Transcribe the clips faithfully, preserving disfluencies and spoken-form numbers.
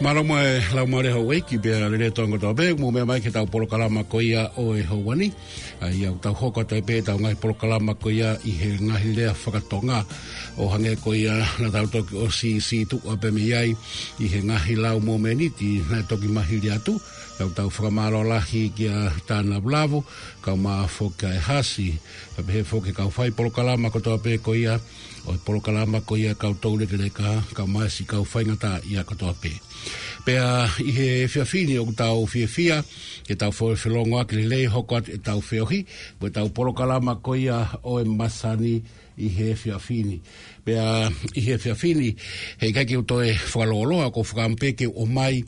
Mālō mo e laumālie houʻeiki pea lelei atu ange kotoa pē, mou meʻa mai ki heʻetau polokalama ko ia ʻo e houa ni. ʻA ia ʻoku tau hoko atu ai pē ʻetau ngaahi polokalama ko ia ʻi he ngaahi lea fakatonga ʻo hangē ko ia naʻa tau toki ʻosi sītuʻa pē mei ai ʻi he ngaahi lau mōmeniti naʻe toki mahili atu. ʻOku tau fakamālō lahi kia Tānavulavu, kae ʻumaʻā foki ʻa e Hasi, kae pehē foki ki he kau fai polokalama kotoa pē ko ia ʻo e polokalama ko ia Kau Toulekeleka, kae ʻumaʻā siʻi kau faingataʻaʻia kotoa pē. Pea ʻi he efiafi ni ʻoku tau fiefia ke tau fo-, felōngoaki lelei hoko atu ʻetau feohi mo ʻetau polokalama ko ia ʻo e masani ʻi he efiafi ni. Pea ʻi he efiafi ni, heʻikai ke u toe fakalōloa, ʻoku ou fakaʻamu pē ke u ʻomai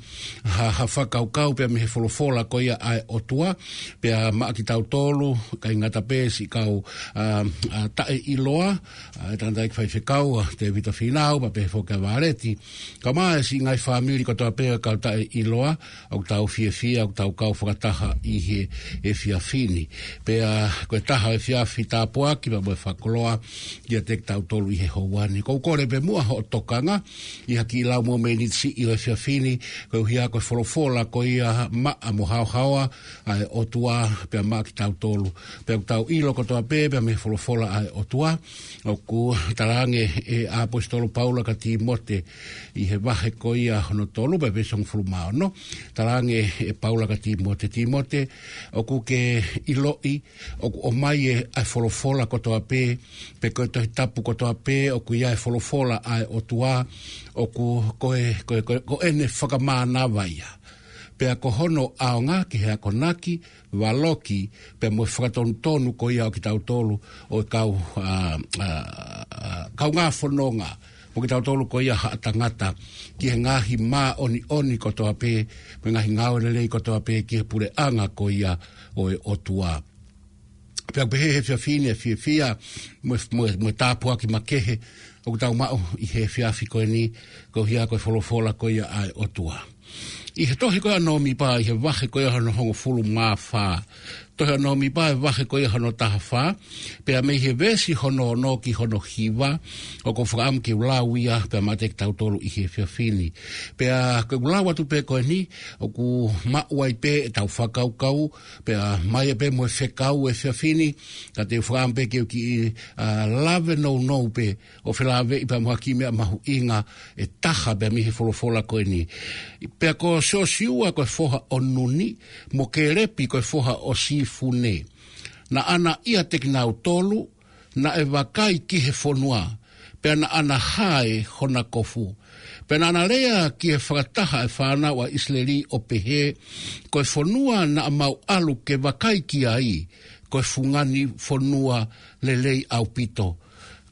ha, ha fakakaukau pea mei he folofola ko ia ʻa e ʻOtua, pea maʻa kitautolu, ʻikai ngata pē siʻi kau, ā, ā, taʻeʻiloa, ā, e tangataʻeiki faifekau, ʻa Tēvita Fīnau, pea pehē foki ʻa Vāleti, kae ʻumaʻā siʻi ngaahi fāmili kotoa pē ʻa e kau taʻeʻiloa, ʻoku tau fiefia, ʻoku tau kau fakataha ʻi he efiafi ni. Pea ko e taha ʻo e efiafi tāpuaki pea mo e fakakoloa kiate kitautolu ʻi he houa ni. ʻOku ou kole pē muʻa hoʻo tokanga ʻi ha kiʻi lau mōmeniti siʻi ʻo e efiafi ni, koeʻuhi ko e folofola ko ia maʻa mo haohaoa ʻa e ʻOtua pea maʻa kitautolu. Pea ʻoku tau ʻilo kotoa pē, pea mei he folofola ʻa e ʻOtua, ʻoku talaange ʻe he ʻaposetolo Paula kia Tīmote ʻi he vahe ko ia hono tolu pea veesi hongofulu mā ono. Talaange ʻe Paula kia Tīmote, Tīmote, ʻoku ke ʻiloʻi ʻoku ʻomai ʻe, ʻa e folofola kotoa pē, pe ko e Tohi Tapu kotoa pē, ʻoku ʻi ai e folofola ʻa e ʻOtua, ʻoku ko e, ko e, ko e, ko ʻene fakamānava ia. Pea ko hono ʻaonga ki he akonaki, valoki, pea mo e fakatonutonu ko ia ʻo kitautolu ʻo e kau, ā, ā, ā, kaungā fononga, mo kitautolu ko ia haʻa tangata, ki he ngaahi māʻoniʻoni kotoa pē, mo e ngaahi ngāue lelei kotoa pē, ki he puleʻanga ko ia ʻo e ʻOtua. Pea pehē he efiafi ni ʻa e fiefia, mo e, mo e, mo e tāpuaki makehe, ʻoku tau maʻu ʻi he efiafi ko eni, ko ia ko e folofola ko ia ʻa e ʻOtua. ʻI he tohi ko ia ʻa Nōmipa, ʻi he vahe ko ia hono hongofulu mā fā. Tohi ʻa Nōmipa, ʻi he vahe ko ia hono taha fā, pea mei he veesi hono ono ki hono hiva, ʻoku ou fakaʻamu ke u lau ia, pea maʻa kitautolu ʻi he efiafi ni. Pea ko ʻeku lau atu pē ko eni, ʻoku maʻu ai pē ʻetau fakakaukau, pea maʻu ai pē mo e fekau he efiafi ni, ka te u fakaʻamu pē ke u kiʻi, ʻa, lave nounou pē, ʻo felāveʻi pea mo ha kiʻi meʻa mahuʻinga ʻe taha pea mei he folofola ko eni. Pea ko Siosiua ko e foha ʻo Nuni, mo Kēlepi ko e foha ʻo Sīfune. Naʻa na ʻiate kinautolu, naʻe vakai ki he fonua, pea naʻa na hae hona kofu. Pea naʻa na lea ki he fakataha ʻa e fānau ʻa ʻIsileli ʻo pehē, ko e fonua naʻa mau ʻalu ke vakai ki ai, ko e fungani fonua lelei ʻaupito.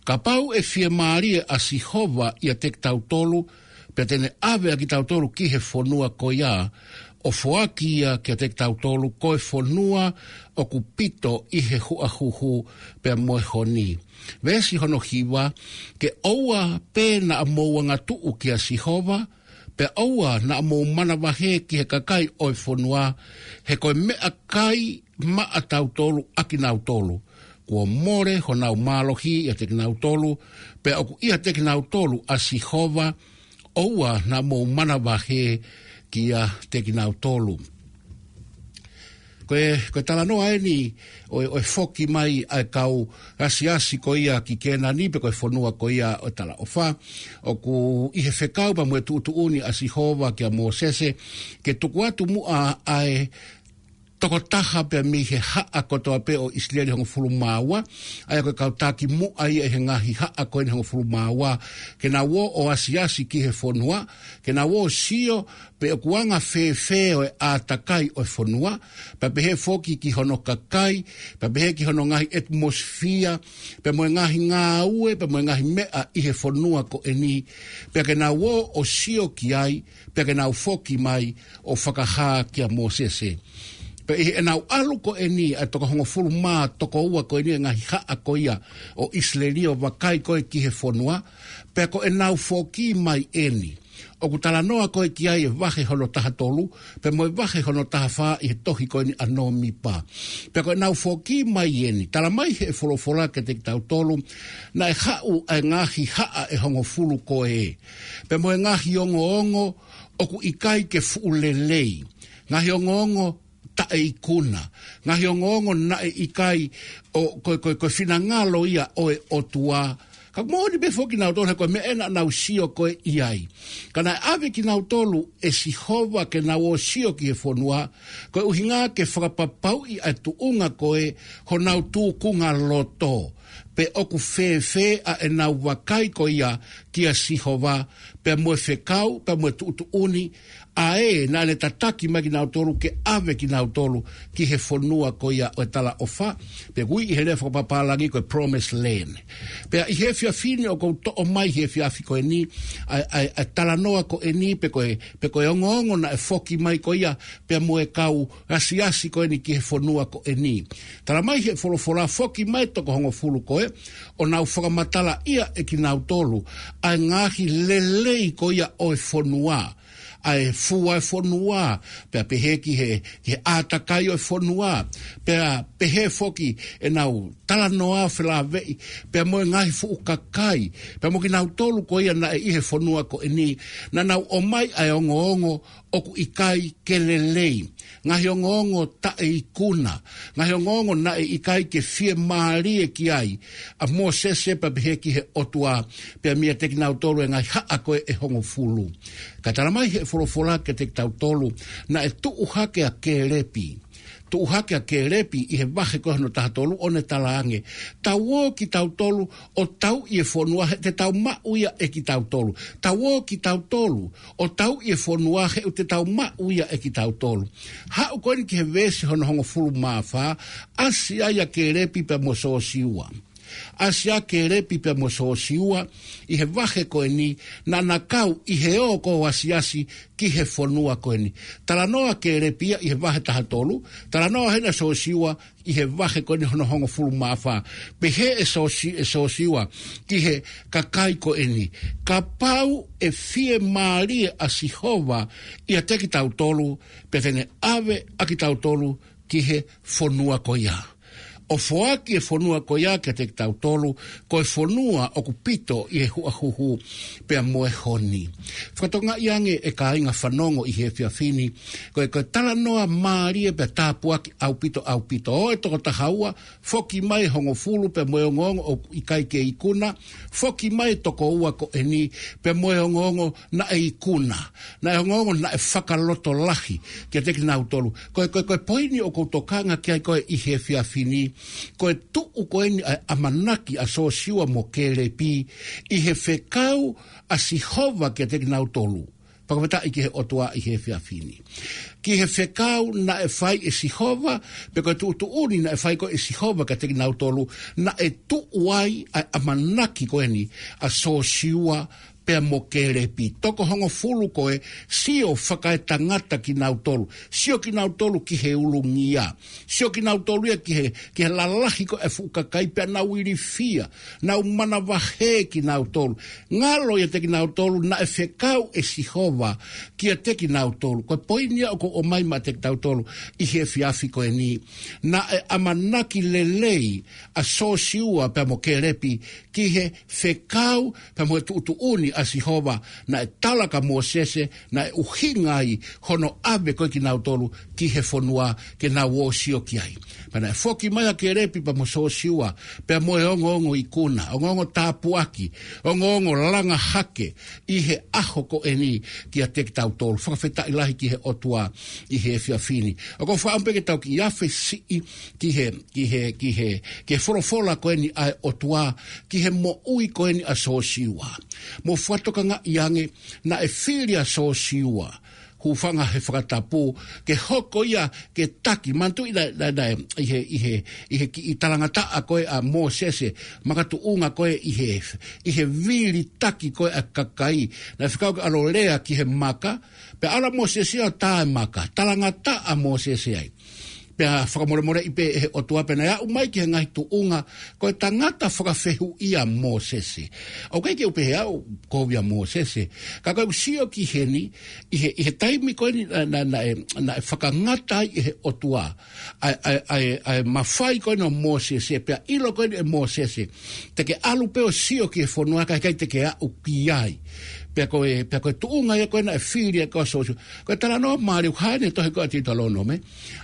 Kapau ʻe fiemālie ʻa Sihova ʻiate kitautolu, pea te ne ʻave ʻa kitautolu ki he fonua ko ia, ʻo foaki ia kiate kitautolu, ko e fonua ʻoku pito ʻi he huʻahuhu pea mo e honi. Veesi hono hiva, ke ʻoua pē naʻa mou angatuʻu kia Sihova, pea ʻoua naʻa mou manavahē ki he kakai ʻo e fonua, he ko e meʻakai maʻatautolu ʻa kinautolu. Kuo mole honau mālohi ʻiate kinautolu, pea ʻoku ʻiate kinautolu ʻa Sihova, ʻoua naʻa mou manavahē kiate kinautolu. Ko e, ko e talanoa eni ʻo e, ʻo e foki mai ʻa e kau asiasi ko ia ki Kēnani pe ko e fonua ko ia ʻo e talaʻofa. ʻOku ʻi he fekau pea mo e tuʻutuʻuni ʻa Sihova kia Mōsese, ke tuku atu muʻa ʻa e tokotaha pea mei he haʻa kotoa pē ʻo ʻIsileli hongofulu mā ua, ʻa ia ko e kau taki muʻa ia ʻi he ngaahi haʻa ko eni hongofulu mā ua, ke nau ō ʻo asiasi ki he fonua, ke nau ō ʻo sio pe ʻoku anga fēfē ʻa e ʻātakai ʻo e fonua, pea pehē foki ki hono kakai, pea pehē ki hono ngaahi ʻetimosifia, pea mo e ngaahi ngāue, pea mo e ngaahi meʻa ʻi he fonua ko eni, pea ke nau ō ʻo sio ki ai, pea ke nau foki mai ʻo fakahā kia Mōsese. Pea ʻi heʻenau ʻalu ko eni ʻa e toko hongofulu mā toko ua ko eni ʻa e ngaahi haʻa ko ia ʻo ʻIsileli ʻo vakai ko ē ki he fonua, pea ko ʻenau foki mai eni. ʻOku talanoa ko ē ki ai e vahe hono taha tolu, pea mo e vahe hono taha fā ʻi he tohi ko eni ʻa Nōmipa. Pea ko ʻenau foki mai eni, tala mai he folofola kiate kitautolu, naʻe haʻu ʻa e ngaahi haʻa ʻe hongofulu ko ē. Pea mo e ngaahi ongoongo ʻoku ʻikai ke fuʻu lelei. Ngaahi ongoongo taʻeikuna. Ngaahi ongoongo naʻe ʻikai ʻo, ko, ko, ko e finangalo ia ʻo e ʻOtua. Ka moʻoni pē foki kinautolu he ko e meʻa ē naʻa nau sio ko ē ʻi ai. Ka naʻe ʻave kinautolu ʻe Sihova ke nau ō ʻo sio ki he fonua, ko e ʻuhinga ke fakapapauʻi ʻa e tuʻunga ko ē honau tūkunga loto. Pe ʻoku fēfē ʻa ʻenau vakai ko ia kia Sihova, pea mo e fekau, pea mo e tuʻutuʻuni, ʻa ē naʻa ne tataki mai kinautolu ke ʻave kinautolu ki he fonua ko ia ʻo e talaʻofa, pe ʻoku ui ʻi he lea fakapapālangi ko e promised land. Pea ʻi he efiafi ni ʻoku ou toʻo mai he efiafi ko eni, ʻa e, ʻa e, ʻa e talanoa ko eni, pe ko e, pe ko e ongoongo naʻe foki mai ko ia, pea mo e kau asiasi ko eni ki he fonua ko eni. Tala mai he folofola foki mai toko hongofulu ko ē, ʻo nau fakamatalaʻia ʻe kinautolu ʻa e ngaahi lelei ko ia ʻo e fonua, ʻa e fua e fonua, pea pehē ki he, ki he ʻātakai ʻo e fonua, pea pehē foki ʻenau talanoa felāveʻi, pea mo e ngaahi fuʻu kakai, pea mo kinautolu ko ia naʻe ʻi he fonua ko eni, naʻa nau ʻomai ʻa e ongoongo ʻoku ʻikai ke lelei. Ngaahi ongoongo taʻeikuna, ngaahi ongoongo naʻe ʻikai ke fiemālie ki ai ʻa Mōsese pea pehē ki he ʻOtua, pea meiate kinautolu e ngaahi haʻa ko ē ʻe hongofulu. Ka tala mai he folofola kiate kitautolu, naʻe tuʻu hake ʻa Kēlepi. Tuʻu hake ʻa Kēlepi ʻi he vahe ko hono taha tolu ʻo ne talaange, tau ō kitautolu ʻo tauʻi e fonua he te tau maʻu ia ʻe kitautolu. Tau ō kitautolu ʻo tauʻi e fonua he ʻoku te tau maʻu ia ʻe kitautolu. Haʻu ko eni ki he veesi hono hongofulu mā fā, ʻasi ai ʻa Kēlepi pea mo Siosiua. ʻAsi ʻa Kēlepi pea mo Sōsiua ʻi he vahe ko eni, naʻa na kau ʻi he ō ko ē ʻo asiasi ki he fonua ko eni. Talanoa Kēlepi ia ʻi he vahe taha tolu, talanoa heni ʻa Sōsiua ʻi he vahe ko eni hono hongofulu mā fā. Pehē ʻe Sōsi-, ʻe Sōsiua ki he kakai ko eni, kapau ʻe fiemālie ʻa Sihova ʻiate kitautolu, pea te ne ʻave ʻa kitautolu ki he fonua ko ia. ʻO foaki e fonua ko ia kiate kitautolu, ko e fonua ʻoku pito ʻi he huʻahuhu pea mo e honi. Fakatokangaʻi ange ʻe kāinga fanongo ʻi he efiafi ni, ko e, ko e talanoa mālie pea tāpuaki ʻaupito, ʻaupito. ʻO e toko taha ua, foki mai e hongofulu pea mo e ongoongo ʻoku ʻikai ke ikuna, foki mai e toko ua ko eni pea mo e ongoongo naʻe ikuna, naʻe ongoongo naʻe fakalotolahi kiate kinautolu. Ko e, ko e, ko e poini ʻoku ou tokanga ki ai ko ē ʻi he efiafi ni, ko e tuʻu ko eni ʻa e ʻamanaki ʻa Sōsiua mo Kēlepi ʻi he fekau ʻa Sihova kiate kinautolu. Fakafetaʻi ki he ʻOtua ʻi he efiafi ni. Ki he fekau naʻe fai ʻe Sihova, pe ko e tuʻutuʻuni naʻe fai ko ē ʻe Sihova kiate kinautolu, naʻe tuʻu ai ʻa e ʻamanaki ko eni ʻa Sōsiua pea mo Kēlepi. Toko hongofulu ko ē, sio fakaetangata kinautolu, sio kinautolu ki he ulungia, sio kinautolu ia ki he, ki he lalahi ko ē ʻa e fuʻu kakai pea nau ilifia, nau manavahē kinautolu. Ngalo ʻiate kinautolu naʻe fekau ʻe Sihova kiate kinautolu. Ko e poini ia ʻoku ou ʻomai maʻa kitautolu ʻi he efiafi ko eni. Naʻe ʻamanaki lelei ʻa Sōsiua pea mo Kēlepi ki he fekau pea mo e tuʻutuʻuni ʻa Sihova, naʻe tala kia Mōsese, naʻe ʻuhinga ai hono ʻave ko ē kinautolu ki he fonua ke nau ō ʻo sio ki ai. Pea naʻe foki mai ʻa Kēlepi pea mo Sōsiua, pea mo e ongoongo ikuna, ongoongo tāpuaki, ongoongo langa hake ʻi he ʻaho ko eni kiate kitautolu. Fakafetaʻi lahi ki he ʻOtua ʻi he efiafi ni. ʻOku ou fakaʻamu pē ke tau kiʻi afe siʻi ki he, ki he, ki he, ki he folofola ko eni ʻa e ʻOtua, ki he moʻui ko eni ʻa Sōsiua. Mou fakatokangaʻi ange, naʻe fili ʻa Sōsiua, hūfanga he fakatapu, ke hoko ia ke taki. Manatuʻi naʻe, naʻe, naʻe, ʻi he, ʻi he, ʻi he kiʻi talangataʻa ko ē ʻa Mōsese, makatuʻunga ko ē ʻi he, ʻi he vilitaki ko ē ʻa e kakai. Naʻe fekau ke ʻalu ʻo lea ki he maka, pea ʻalu ʻa Mōsese ia ʻo tā e maka, talangataʻa ʻa Mōsese ai. Pea fakamolemoleʻi pē ʻe he ʻOtua pea naʻe aʻu mai ki he ngaahi tuʻunga, ko e tangata fakafehuʻia ʻa Mōsese. ʻOku ʻikai ke u pehē au kovi ʻa Mōsese, ka ko ʻeku sio ki heni, ʻi he, ʻi he taimi ko eni naʻe, naʻe, naʻe, naʻe fakangata ai ʻe he ʻOtua ʻa e, ʻa e, ʻa e, ʻa e mafai ko eni ʻo Mōsese, pea ʻilo ko eni ʻe Mōsese, te ke ʻalu pē ʻo sio ki he fonua, ka ʻikai te ke aʻu ki ai. Pea ko e, pea ko e tuʻunga ia ko ē naʻe fili ai ko ē ʻa Sōsiua. Ko e talanoa mālie ʻoku hā ʻi he tohi ko ē ʻa Teutalōnome,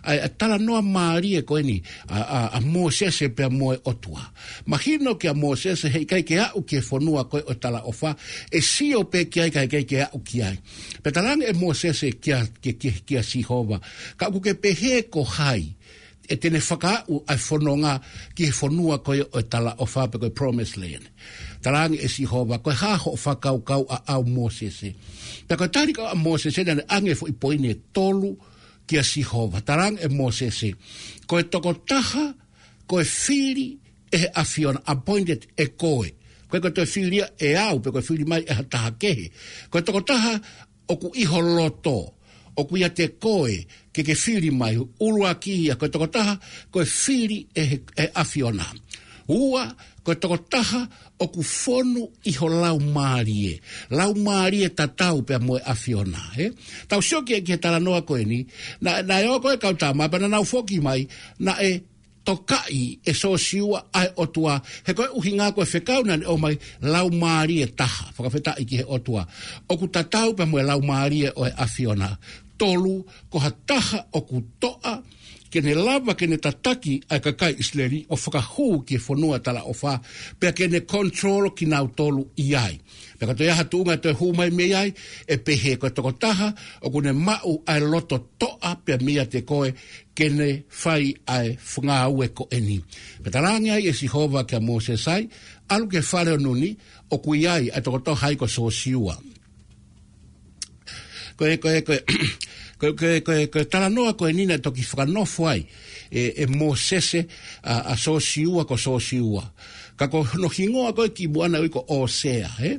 ʻa e, ʻa e talanoa mālie ko eni ʻa, ʻa, ʻa Mōsese pea mo e ʻOtua. Mahino kia Mōsese heʻikai ke aʻu ki he fonua ko ē ʻo e talaʻofa, ʻe sio pē ki ai ka ʻikai ke aʻu ki ai. Pea talaange ʻe Mōsese kia, kia, kia, kia Sihova, ka ʻoku ke pehē ko hai ʻe te ne fakaaʻu ʻa e fononga ki he fonua ko ē ʻo e talaʻofa pe ko e promised land. Talaange ʻe Sihova, ko e hā hoʻo fakakaukau ʻaʻau Mōsese? Pea ko e tali ko ē ʻa Mōsese naʻa ne ʻange e foʻi poini ʻe tolu kia Sihova. Talaange ʻe Mōsese, ko e tokotaha ko e fili ʻe he ʻAfiona, appointed ʻe koe. Ko e, ko e toe fili ia ʻe au, pe ko e fili mai ʻe ha taha kehe. Ko e tokotaha ʻoku ʻi ho loto, ʻoku ʻiate koe ke ke fili mai. ʻUluaki ia, ko e tokotaha ko e fili ʻe he, ʻe he ʻAfiona. Ua, ko e tokotaha ʻoku fonu ʻi ho laumālie, laumālie tatau pea mo e ʻAfiona, ē? Tau sio ki he, ki he talanoa ko eni, naʻe, naʻe ō ko ē e kau tama, pea naʻa nau foki mai, naʻe tokaʻi ʻe Sōsiua ʻa e ʻOtua, he ko e ʻuhinga ko e fekau naʻa ne ʻomai, laumālie taha, fakafetaʻi ki he ʻOtua, ʻoku tatau pea mo e laumālie ʻo e ʻAfiona. Tolu, ko ha taha ʻoku toʻa, ke ne lava ke ne tataki ʻa e kakai ʻIsileli ʻo fakahū ki he fonua talaʻofa, pea ke ne control kinautolu ʻi ai. Pea ka toe ʻi ai ha tuʻunga ʻe toe hū mai mei ai, ʻe pehē ko e tokotaha ʻoku ne maʻu ʻa e loto toʻa pea meiate koe, ke ne fai ʻa e fungāue ko eni. Pea talaange ai ʻe Sihova kia Mōsese ai, ʻalu ki he fale ʻo Nuni, ʻoku ʻi ai ʻa e tokotaha ai ko Sōsiua. Ko e, ko e, ko e, ko e, ko e, ko e, ko e talanoa ko eni naʻe toki fakanofo ai ʻe, ʻe Mōsese ʻa, ʻa Sōsiua ko Sōsiua. Ka ko hono hingoa ko ē kimuʻa naʻe ui ko ʻOsea, ē?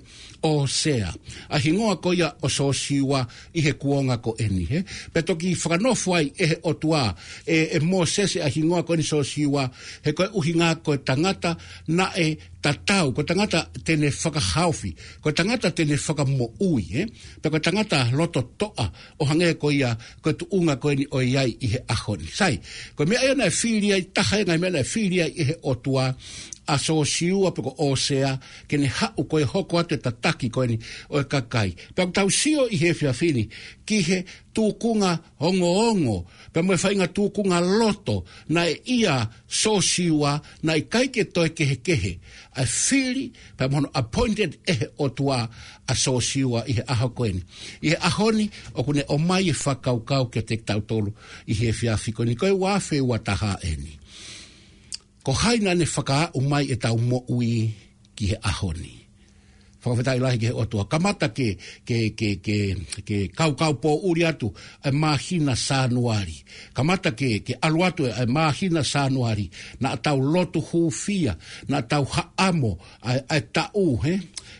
ʻOsea. ʻA e hingoa ko ia ʻo Sōsiua ʻi he kuonga ko eni, ē? Pea toki fakanofo ai ʻe he ʻOtua ʻe, ʻe Mōsese ʻa e hingoa ko eni Sōsiua, he ko e ʻuhinga ko e tangata naʻe tatau, ko e tangata te ne fakahaofi, ko e tangata te ne fakamoʻui, ē? Pea ko e tangata loto toʻa, ʻo hangē ko ia, ko e tuʻunga ko eni ʻoku ʻi ai ʻi he ʻaho ni. Sai, ko e meʻa ia naʻe fili ai, taha ia e ngaahi meʻa naʻe fili ai ʻe he ʻOtua ʻa Sōsiua pe ko ʻOsea, ke ne haʻu ko ē ʻo hoko atu e tataki ko eni ʻo e kakai. Pea ʻoku tau sio ʻi he efiafi ni ki he tūkunga ongoongo, pea mo e faʻahinga tūkunga loto naʻe ʻia Sōsiua, naʻe ʻikai ke toe kehekehe ʻa e fili, pea mo hono appointed ʻe he ʻOtua ʻa Sōsiua ʻi he ʻaho ko eni. ʻI he ʻaho ni, ʻoku ne ʻomai e fakakaukau kiate kitautolu ʻi he efiafi ko eni, ko e ua afe ua taha eni. Ko hai naʻa ne fakaaʻu mai ʻetau moʻui ki he ʻaho ni? Fakafetaʻi lahi ki he ʻOtua. Kamata ke, ke, ke, ke, ke kaukau pōʻuli atu ʻa e māhina Sānuali. Kamata ke, ke ʻalu atu ʻa e māhina Sānuali, naʻa tau lotu hūfia, naʻa tau haʻamo ʻa e, ʻa e taʻu, ē?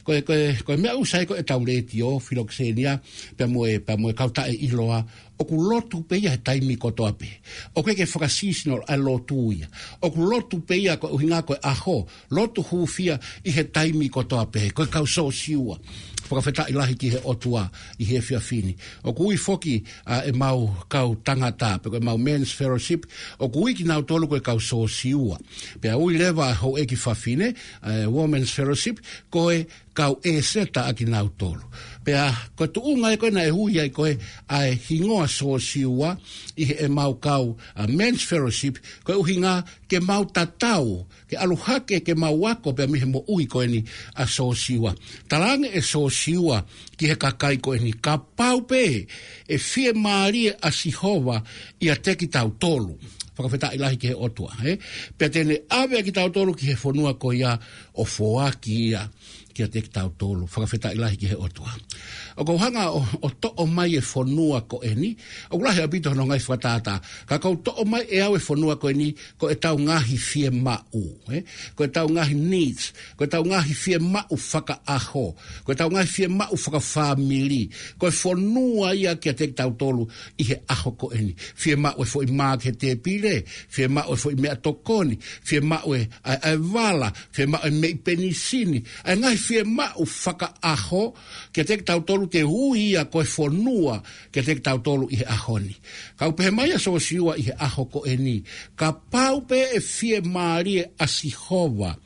Ko e, ko e, ko e meʻa ʻoku sai ko ʻetau letiō, filokisenia, pea mo e, pea mo e kau taʻeʻiloa, ʻoku lotu pē ia he taimi kotoa pē. ʻOku ʻikai ke faka-seasonal ʻa e lotu ia. ʻOku lotu pē ia ko e ʻuhinga ko e ʻaho, lotu hūfia ʻi he taimi kotoa pē, ko e kau Sōsiua. Fakafetaʻi lahi ki he ʻOtua ʻi he efiafi ni. ʻOku ui foki ʻa ʻemau kau tangata, pe ko ʻemau men's fellowship, ʻoku ui kinautolu ko e kau Sōsiua. Pea ui leva ʻa e houʻeiki fafine, ʻa e women's fellowship, ko e kau ʻEseta ʻa kinautolu. Pea ko e tuʻunga ia ko ē naʻe ui ai ko ē ʻa e hingoa Sōsiua ʻi heʻemau kau, ʻa, men's fellowship, ko e ʻuhinga ke mau tatau, ke ʻalu hake ke mau ako pea mei he moʻui ko eni ʻa Sōsiua. Talaange ʻe Sōsiua ki he kakai ko eni, kapau pē ʻe fiemālie ʻa Sihova ʻiate kitautolu. Fakafetaʻi lahi ki he ʻOtua, ē? Pea te ne ʻave ʻa kitautolu ki he fonua ko ia ʻo foaki ia kiate kitautolu. Fakafetaʻi lahi ki he ʻOtua. ʻOku ou hanga ʻo, ʻo toʻo mai e fonua ko eni, ʻoku lahi ʻaupito hono ngaahi fakatātā. Ka ʻoku ou toʻo mai ʻe au e fonua ko eni, ko ʻetau ngaahi fiemaʻu, ē? Ko ʻetau ngaahi needs, ko ʻetau ngaahi fiemaʻu fakaʻaho, ko ʻetau ngaahi fiemaʻu fakafāmili, ko e fonua ia kiate kitautolu ʻi he ʻaho ko eni. Fiemaʻu e foʻi mā ki he tēpile, fiemaʻu e foʻi meʻatokoni, fiemaʻu e, ʻa e, ʻa e vala, fiemaʻu e meʻi penisini, ʻa e ngaahi fiemaʻu fakaʻaho kiate kitautolu, te ui ia ko e fonua kiate kitautolu ʻi he ʻaho ni. Ka ʻoku pehē mai ʻa Sōsiua ʻi he ʻaho ko eni, kapau pē ʻe fiemālie ʻa Sihova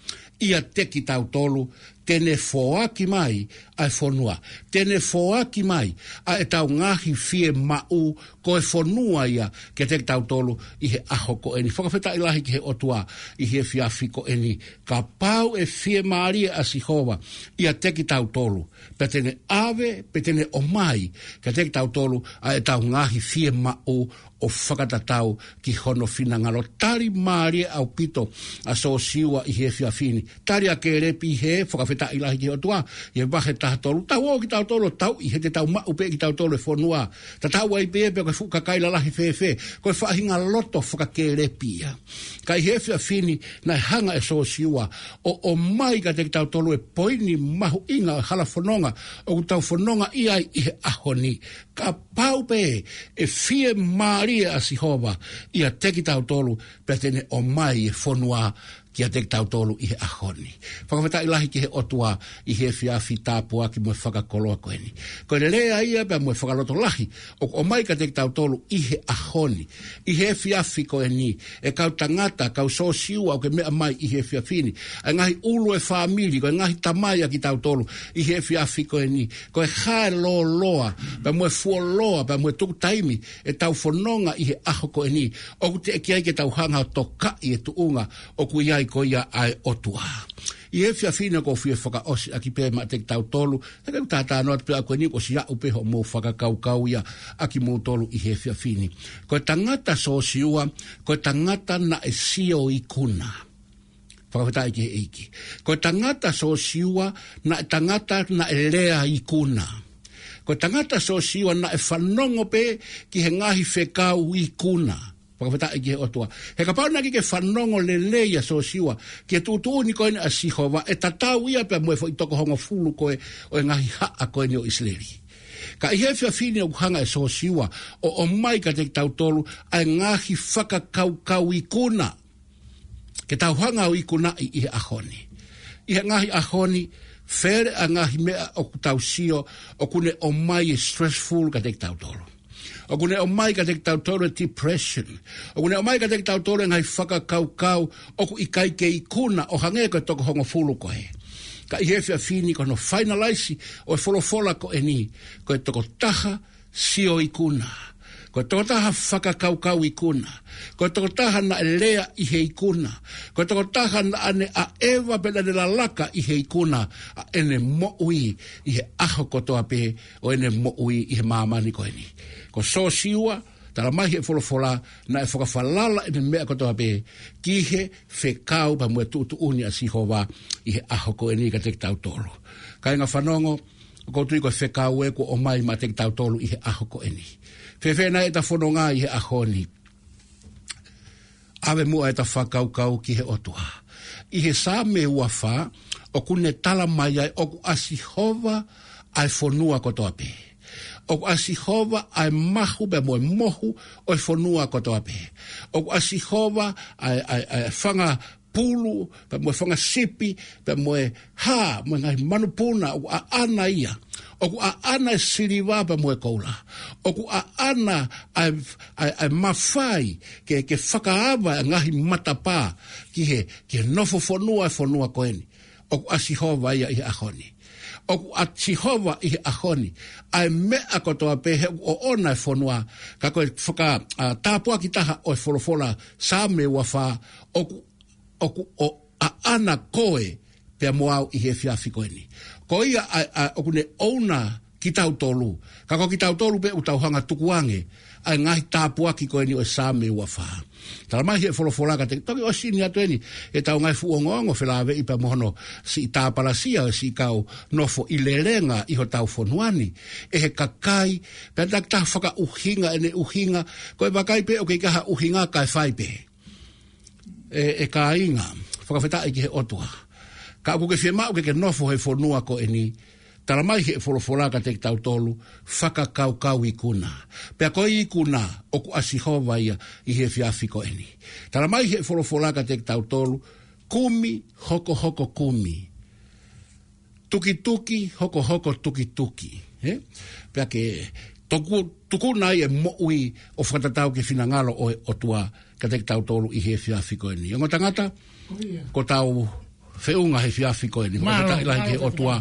ʻiate kitautolu, te ne foaki mai ʻa e fonua. Te ne foaki mai ʻa ʻetau ngaahi fiemaʻu, ko e fonua ia kiate kitautolu ʻi he ʻaho ko eni. Fakafetaʻi lahi ki he ʻOtua ʻi he efiafi ko eni. Kapau ʻe fiemālie ʻa Sihova ʻiate kitautolu, pea te ne ʻave, pea te ne ʻomai kiate kitautolu ʻa ʻetau ngaahi fiemaʻu ʻo fakatatau ki hono finangalo. Tali mālie ʻaupito ʻa Sōsiua ʻi he efiafi ni. Tali ʻa Kēlepi ʻi he, fakafetaʻi lahi ki he ʻOtua, ʻi he vahe taha tolu, tau ō kitautolu ʻo tauʻi he te tau maʻu pē kitautolu e fonua. Tatau ai pē pe ko e fuʻu kakai lalahi fēfē, ko e faʻahinga loto faka-Kēlepi ia. Ka ʻi he efiafi ni, naʻe hanga ʻe Sōsiua ʻo, ʻomai kiate kitautolu e poini mahuʻinga ʻo e hala fononga ʻoku tau fononga ʻi ai ʻi he ʻaho ni. Kapau pē ʻe fiemālie ʻa Sihova ʻiate kitautolu, pea te ne ʻomai e fonua kiate kitautolu ʻi he ʻaho ni. Fakafetaʻi lahi ki he ʻOtua ʻi he efiafi tāpuaki mo e fakakoloa ko eni. Ko e lea ia pea mo e fakalotolahi ʻoku ʻomai kiate kitautolu ʻi he ʻaho ni, ʻi he efiafi ko eni, e kau tangata, kau Sōsiua ʻoku ke meʻa mai ʻi he efiafi ni, ʻa e ngaahi ʻulu e fāmili, ko e ngaahi tamai ʻa kitautolu ʻi he efiafi ko eni, ko e hā e lōloa, pea mo e fuoloa, pea mo e tuku taimi ʻetau fononga ʻi he ʻaho ko eni, ʻoku teʻeki ai ke tau hanga ʻo tokaʻi e tuʻunga ʻoku ʻi ai ko ia ʻa e ʻOtua. ʻI he efiafi ni ʻoku ou fie fakaʻosi ʻaki pē maʻa kitautolu, he ʻoku ou talanoa atu pē au ko eni, kuo ʻosi aʻu pē hoʻomou fakakaukau ia ʻa kimoutolu ʻi he efiafi ni. Ko e tangata Sōsiua, ko e tangata naʻe sio ikuna. Fakafetaʻi ki he ʻEiki. Ko e tangata Sōsiua, naʻe tangata naʻe lea ikuna. Ko e tangata Sōsiua naʻe fanongo pē ki he ngaahi fekau ikuna. Fakafetaʻi ki he ʻOtua. He kapau naʻe ʻikai ke fanongo lelei ʻa Sōsiua ki he tuʻutuʻuni ko eni ʻa Sihova, ʻe tatau ia pea mo e foʻi toko hongofulu ko ē ʻo e ngaahi haʻa ko eni ʻo ʻIsileli. Ka ʻi he efiafi ni ʻoku hanga ʻe Sōsiua ʻo ʻomai kiate kitautolu ʻa e ngaahi fakakaukau ikuna ke tau hanga ʻo ikunaʻi ʻi he ʻaho ni. ʻI he ngaahi ʻaho ni, fele ʻa e ngaahi meʻa ʻoku tau sio, ʻoku ne ʻomai e stressful kiate kitautolu. ʻOku ne ʻomai kiate kitautolu e depression. ʻOku ne ʻomai kiate kitautolu e ngaahi fakakaukau ʻoku ʻikai ke ikuna ʻo hangē ko e toko hongofulu ko ē. Ka ʻi he efiafi ni ko hono finalize ʻo e folofola ko eni, ko e tokotaha sio ikuna. Ko e tokotaha fakakaukau ikuna. Ko e tokotaha naʻe lea ʻi he ikuna. Ko e tokotaha naʻa ne ʻaʻeva pe naʻa ne lalaka ʻi he ikuna ʻa ʻene moʻui ʻi he ʻaho kotoa pē ʻo ʻene moʻui ʻi he māmani ko eni. Ko Sōsiua, tala mai he folofola, naʻe fakafalala ʻene meʻa kotoa pē ki he fekau pea mo e tuʻutuʻuni ʻa Sihova ʻi he ʻaho ko eni kiate kitautolu. Kāinga fanongo, ʻoku ou tui ko e fekau ē kuo ʻomai maʻa kitautolu ʻi he ʻaho ko eni. Fēfē nai ʻeta fononga ʻi he ʻaho ni? ʻAve muʻa ʻeta fakakaukau ki he ʻOtua. ʻI he Saame ua fā, ʻoku ne tala mai ai ʻoku ʻa Sihova ʻa e fonua kotoa pē. ʻOku ʻa Sihova ʻa e mahu pea mo e mohu ʻo e fonua kotoa pē. ʻOku ʻa Sihova ʻa e, ʻa e, ʻa e fanga pulu, pea mo e fanga sipi, pea mo e hā, mo e ngaahi manupuna, ʻoku ʻaʻana ia. ʻOku ʻaʻana e siliva pea mo e koula. ʻOku ʻaʻana ʻa e, ʻa e, ʻa e mafai ke, ke fakaava e ngaahi matapā ki he, ki he nofo fonua e fonua ko eni. ʻOku ʻa Sihova ia ʻi he ʻaho ni. ʻOku ʻa Sihova ʻi he ʻaho ni ʻa e meʻa kotoa pē he ʻoku ʻoʻona e fonua, ka ko e faka, ʻa, tāpuaki taha ʻo e folofola Saame ua fā, ʻoku, ʻoku ʻo ʻaʻana koe pea mo au ʻi he efiafi ko eni. Ko ia ʻa, ʻa, ʻoku ne ʻouna kitautolu, ka ko kitautolu pē ʻoku tau hanga tukuange ʻa e ngaahi tāpuaki ko eni ʻo e Saame ua fā. Tala mai he folofola kiate, toki ʻosi ni atu eni ʻetau ngaahi fuʻu ongoongo felāveʻi pea mo hono siʻi tāpalasia ʻo e siʻi kau nofo ʻi lelenga ʻi hotau fonua ni ʻe he kakai, pea taki taha fakaʻuhinga ʻene ʻuhinga, ko e vakai pē ʻoku ʻikai ha ʻuhinga kae fai pē. ʻE, ʻe kāinga, fakafetaʻi ki he ʻOtua. Ka ʻoku ke fiemaʻu ke ke nofo he fonua ko eni, tala mai he folofola kiate kitautolu, fakakaukau ikuna. Pea ko e ikuna, ʻoku ʻa Sihova ia ʻi he efiafi ko eni. Tala mai he folofola kiate kitautolu, kumi hokohoko kumi. Tukituki hokohoko tukituki. He? Pea ke tuku, tukuna ai e moʻui ʻo fakatatau ki he finangalo ʻo e ʻOtua kiate kitautolu ʻi he efiafi ko eni. Ongo tangata, ko ʻetau feʻunga he efiafi ko eni. Mālō, fakafetaʻi lahi ki he ʻOtua,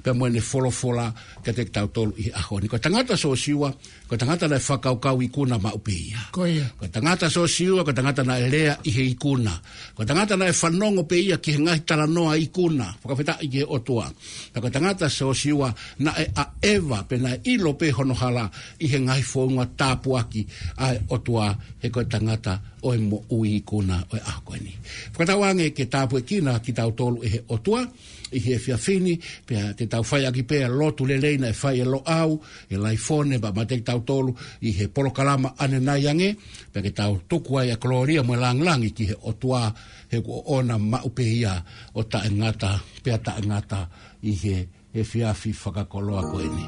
pea mo ʻene folofola kiate kitautolu ʻi he ʻaho ni. Ko e tangata Sōsiua, ko e tangata naʻe fakakaukau ikuna maʻu pē ia. Ko ia. Ko e tangata Sōsiua, ko e tangata naʻe lea ʻi he ikuna. Ko e tangata naʻe fanongo pē ia ki he ngaahi talanoa ikuna. Fakafetaʻi ki he ʻOtua. Ka ko e tangata Sōsiua naʻe ʻaʻeva pea naʻe ʻilo pē hono hala ʻi he ngaahi founga tāpuaki ʻa e ʻOtua, he ko e tangata ʻo e moʻui ikuna ʻo e ʻaho ko eni. Fakatauange ke tāpuekina kitautolu ʻe he ʻOtua ʻi he efiafi ni, pea te tau fai ʻaki pē ʻa e lotu lelei naʻe fai ʻe Loʻau, ʻe Laifone, pea mate kitautolu ʻi he polokalama ʻanenai ange, pea ke tau tuku ai ʻa e kolōlia mo e lāngilangi ki he ʻOtua, he kuo ʻoʻona maʻu pē ia ʻo taʻengata, pea taʻengata ʻi he efiafi fakakoloa ko eni.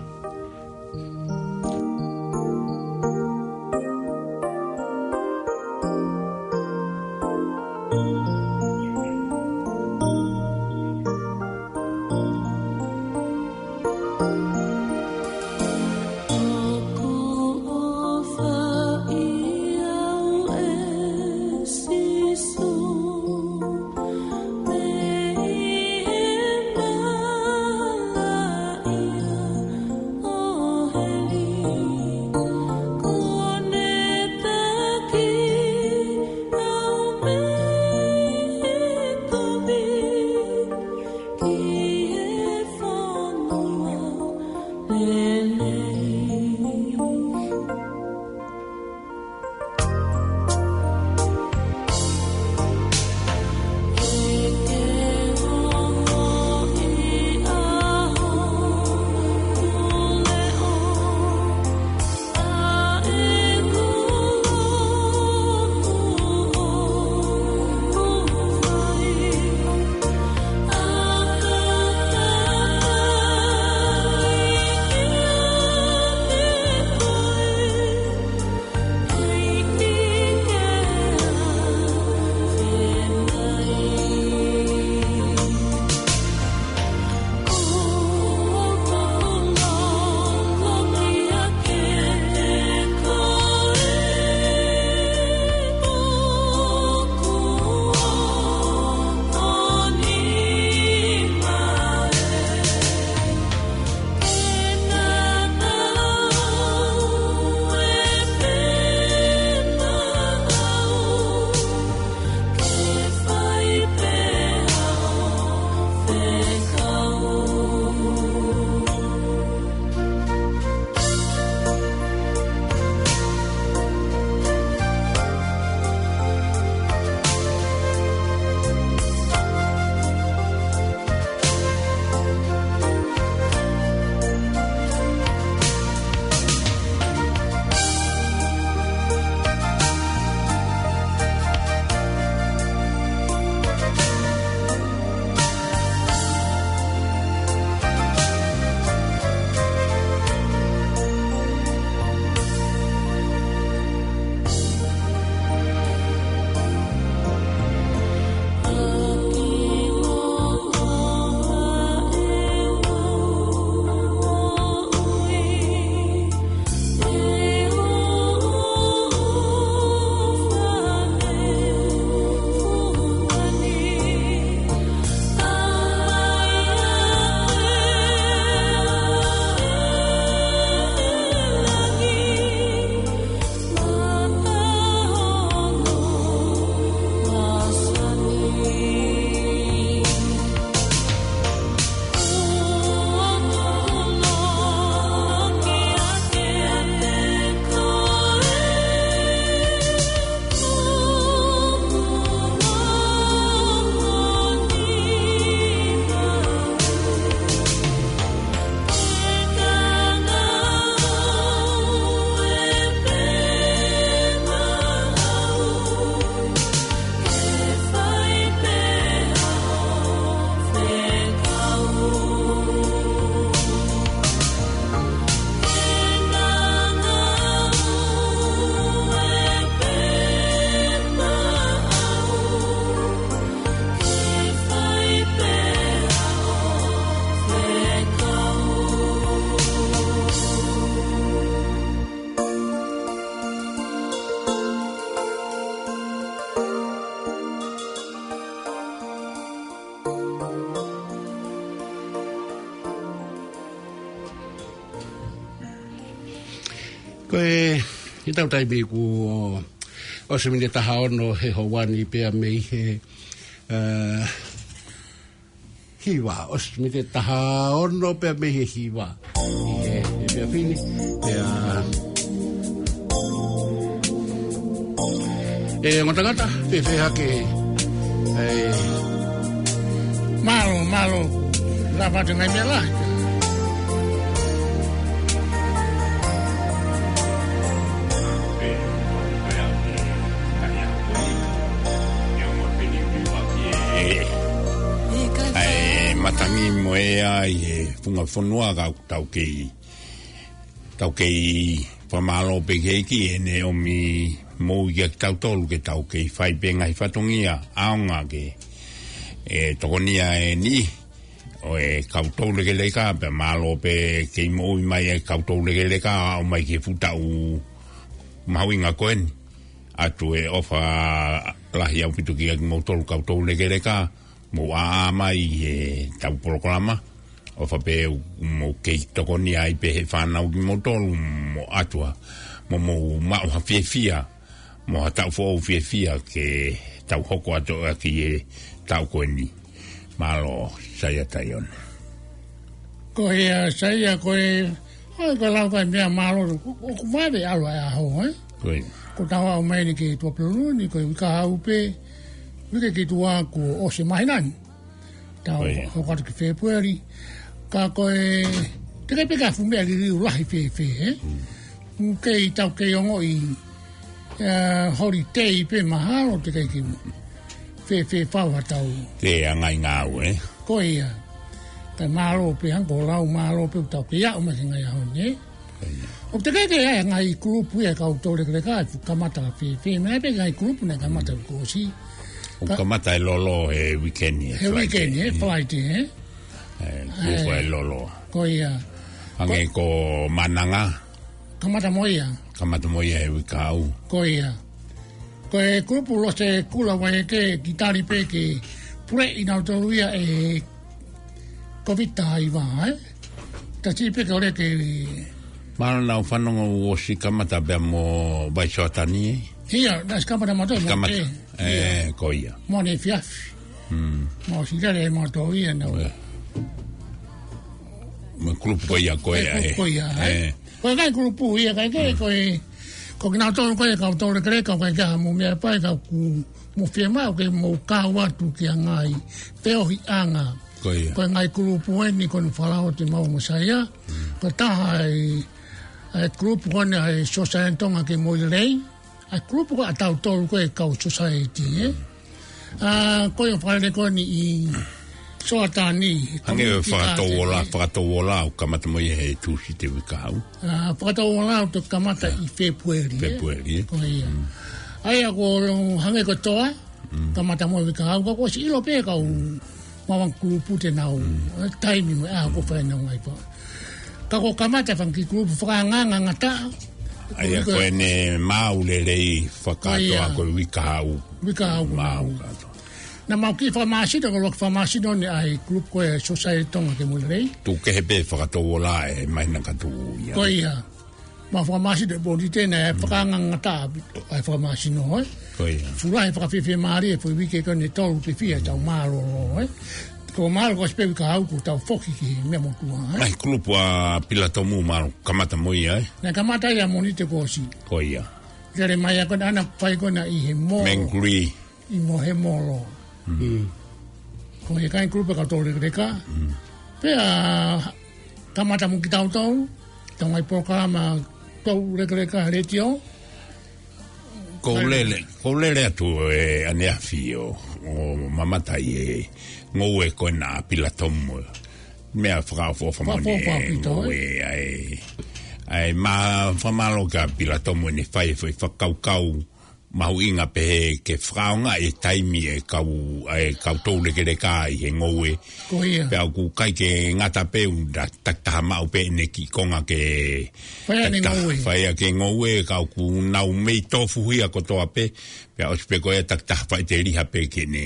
Pea, ʻi heʻetau taimi kuo ʻosi miniti taha ono he houa ni pea mei he, ē, hiva, ʻosi miniti taha ono pea mei he hiva. ʻI he, he pea fini, pea, ē, ongo tangata, fēfē hake, ē, mālō, mālō. Lava te ngai mea lahi. ʻE, ʻa e matangi mo e ʻai e funga fonua ka tau kei, tau kei fakamālō pē ki he ʻEiki ʻene ʻomi moʻui kiate kitautolu ke tau kei fai pē ngaahi fatongia ʻaonga ke, ē, tokonia e niʻihi ʻo e kau toulekeleka, pea mālō pē kei moʻui mai e kau toulekeleka, ʻo aʻu mai ki he fuʻu taʻu mahuʻinga ko eni. ʻOatu e ʻofa lahi ʻaupito kiate kimoutolu kau toulekeleka, mou ʻaʻa mai ʻi heʻetau polokalama. ʻOfa pē ʻoku mou kei tokonia ai pē he fānau kimoutolu, mo ʻatu ha, mo mou maʻu ha fiefia, mo ha taʻu foʻou fiefia ke tau hoko atu ʻaki e taʻu ko eni. Mālō, Saia Taione. Ko ia, Saia, ko e, ʻa e ka lau ka mea mālō, ʻo, ʻoku vave ʻalu ʻa e ʻaho, ē? Ko ia. Ko ʻetau aʻu mai eni ki Tuʻapulelulu ni, ko e uike kahaʻu pē, uike ki tuʻa kuo ʻosi māhina ni. Tau, ko ia, hoko atu ki Fēpueli. Ka ko e, teʻeki pē ke fuʻu meʻa liliu lahi fēfē, ē? Mm. Kei tau kei ongoʻi, ē, holiday pē mahalo teʻeki ke fēfē fau ha tau. Ke angai ngāue, ē? Ko ia. Ka mālō pē hangē ko e lau mālō pē ʻoku tau kei aʻu mai ki he ngaahi ʻaho ni, ē? Ko ia. ʻOku teʻeki ke ʻi ai e ngaahi kulupu ia kau toulekeleka ʻe fuʻu kamata fēfē, meʻa pē ngaahi kulupu naʻe kamata kuo ʻosi. ʻOku kamata e lolo he weekend, he Friday. He weekend, he Friday, ē? Ē, kulupu ē, e lolo. Ko ia. Hangē ko, ko Mananga. Kamata mo ia. Kamata mo ia he uike kahaʻu. Ko ia. Ko e kulupu Lose Kula Vaieke, ki tali pē ke puleʻi nautolu ia ʻe Covid taha hiva, ē? Tasi pē ke ʻoleva ke. Mālō naʻa ku fanongo ʻoku ʻosi kamata pea mo Vaisoatani, ē? Ia, naʻe ʻosi kamata mo tō, kamata. Ē, ia. Ko ia. Mo ne fiafi. Mm. Mo ʻosi lele mo tō ia nau. Ē. Mo e kulupu ko ia ko ē, ē, kulupu ē. Ko ia, ē. Ē. Ko e ngaahi kulupu ia, ka ʻikai ke, mm, ko e, ko kinautolu ko e kau toulekeleka, ka ʻikai ke ha mou meʻa pē ka ʻoku mou fiemaʻu ke mou kau atu ki he ngaahi feohiʻanga. Ko ia. Ko e ngaahi kulupu eni ko eni fālao te mau mo Saia. Mm. Ko e taha e, e kulupu ko eni ʻa e Society Tonga Kei Moʻui Lelei. ʻA e kulupu ko ē ʻa tautolu ko e kau society, ē? ʻA, ko e ʻo fale ko eni ʻi Soatani, hangē ko e Community Fakatouola, Garden, ē? Fakatouola ʻoku kamata mo ia he Tūsite uike kahaʻu. ʻA, Fakatouola ʻoku kamata ʻi Fēpueli, ē? Fēpueli, ē? Ko ia. Mm. ʻA ia ko hangē ko e toa, mm, kamata mo e uike kahaʻu, ka kuo ʻosi ʻilo pē kau maʻu ange kulupu te nau, mm, ē, taimi mo e ʻaho ko ē ʻoku fai ai ʻenau ngaahi pā. Ka kuo kamata fanga kiʻi kulupu fakaangaanga ngataʻa. ʻA ia ko ē, ko ʻene maʻu lelei fakakātoa, ko ia, ko e uike kahaʻu. Uike kahaʻu. Maʻu kātoa. Naʻa mau kiʻi fakamāsino, ko e ʻuluaki fakamāsino eni ʻa e kulupu ko e Society Tonga Kei Moʻui Lelei. Tuku kehe pē Fakatouola he māhina ka tuʻu ia. Ko ia. Mau fakamāsino ʻi he Pōnite naʻe, mm, fakaangaanga ngataʻa ʻa e fakamāsino, ē? Ko ia. Fuʻu lahi e fakafiefia mālie e foʻi uike ko eni ʻe tolu ke fie tau mālōlō, ē? Ko e mālō ko ē ʻosi pē uike kahaʻu kuo tau foki ki he meʻa motuʻa, ē? Ngaahi kulupu ʻa Pilatomu mālō kamata mo ia, ē? Naʻe kamata ia Mōnite kuo ʻosi. Ko ia. Lele mai ia ko ē ʻana fai ko ē ʻi he molo. Mangere. ʻI mo he molo. Mm. Mm. Ko e ngaahi kulupu kau toulekeleka. Mm. Pea kamata mo kitautolu, tau ngaahi polokalama toulekeleka he letiō. Ko e lele, ko e lele atu ʻe ʻaneafi ʻo, ʻo mamata ʻi he ngoue ko ena ʻa Pilatomu. Meʻa fakaʻofoʻofa moʻoni. Fakaʻofoʻofa ʻaupito, ē? Ngoue ʻa e, ʻa e ma-, fakamālō kia Pilatomu ʻene fai e foʻi fakakaukau mahuʻinga pehē ke fakaʻaongaʻi e taimi e kau, e kau toulekeleka ʻi he ngoue. Ko ia. Pea ʻoku ʻikai ke ngata pē ʻoku na takitaha maʻu pē ʻene kiʻi konga ke fai ʻene ngoue. Takitaha fai ʻaki e ngoue, ka ʻoku nau mei tofuhia kotoa pē, pea ʻosi pē ko ia takitaha faʻiteliha pē ke ne.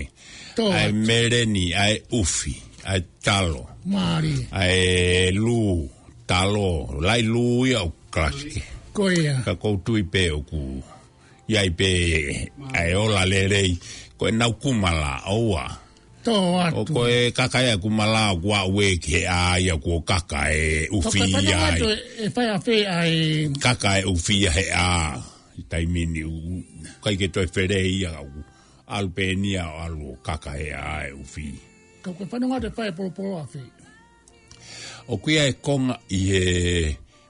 Tō atu. ʻA e meleni, ʻa e ʻufi, ʻa e talo. Mālie. ʻA e lū, talo, laʻi lū ia ʻo kalasi ke. Ko ia. Ka ʻoku ou tui pē ʻoku ʻi ai pē ʻa e ola lelei, ko ʻenau kumala, ʻoua. Tō atu. ʻO ko e kaka ia ʻa e kumala ʻoku aʻu ē ki he ʻā ia kuo kaka e ʻufi ia ai. Atu e, e fai ʻafē ʻa e kaka e ʻufi ia he ʻā. ʻI he taimi ni ʻoku ʻikai ke toe felei ia ʻoku ʻalu pē eni ia ʻo ʻalu ʻo kaka he ʻā e ʻufi. Ka ko e fanongo atu e fai e polopolo ʻafē. ʻOku ʻi ai e konga ʻi he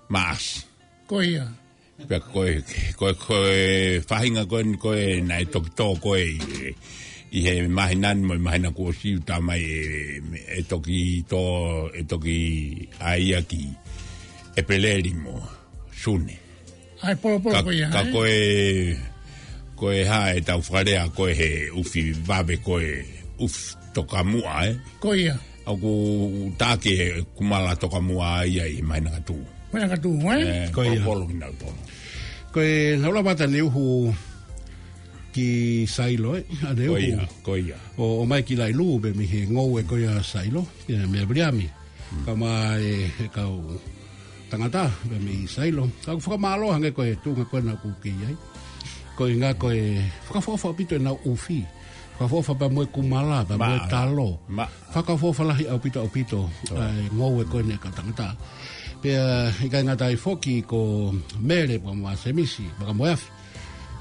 Maʻasi. Ko ia. Pea ko e, ko e, ko e faʻahinga ko eni ko ē naʻe toki tō ko ē ʻi, ʻi he māhina ni mo e māhina kuo ʻosi ʻoku talamai ʻe, ʻe toki tō, ʻe toki ʻai ia ki ʻEpeleli mo Sune. ʻA e polopolo Ka, ko ia, ka ē? ko e, ko e hā ʻetau fakalea ko ē he ʻufi vave ko e ʻufi tokamuʻa, ē? Ko ia. ʻOku taki e kumala tokamuʻa ia ʻi he māhina ka tuʻu. Māhina ka tuʻu, ē? Ē, Ko ia. polopolo kinautolu. Ko e naʻa ku lava atu ʻaneuhu ki Sailo, ē? ʻAneuhu. Ko ia, ko ia. ʻO, ʻomai ki Lailū, pē mei he ngoue ko ia Sailo, pē mei Viliami. Ka mai e kau tangata, pē mei Sailo. Ka ʻoku fakamālō hangē ko e tuʻunga ko ē naʻa ku kei ai. Ko e ʻuhinga ko e fakaʻofoʻofa ʻaupito ʻenau ʻufi. Fakaʻofoʻofa pea mo e kumala, pea mo e Maʻa. talo. Maʻa. Fakaʻofoʻofa lahi ʻaupito ʻaupito, ʻa e ngoue ko eni ʻa e kau tangata. Pea ʻikai ngata ai foki ko Mele pea mo Semisi, pea mo e afi.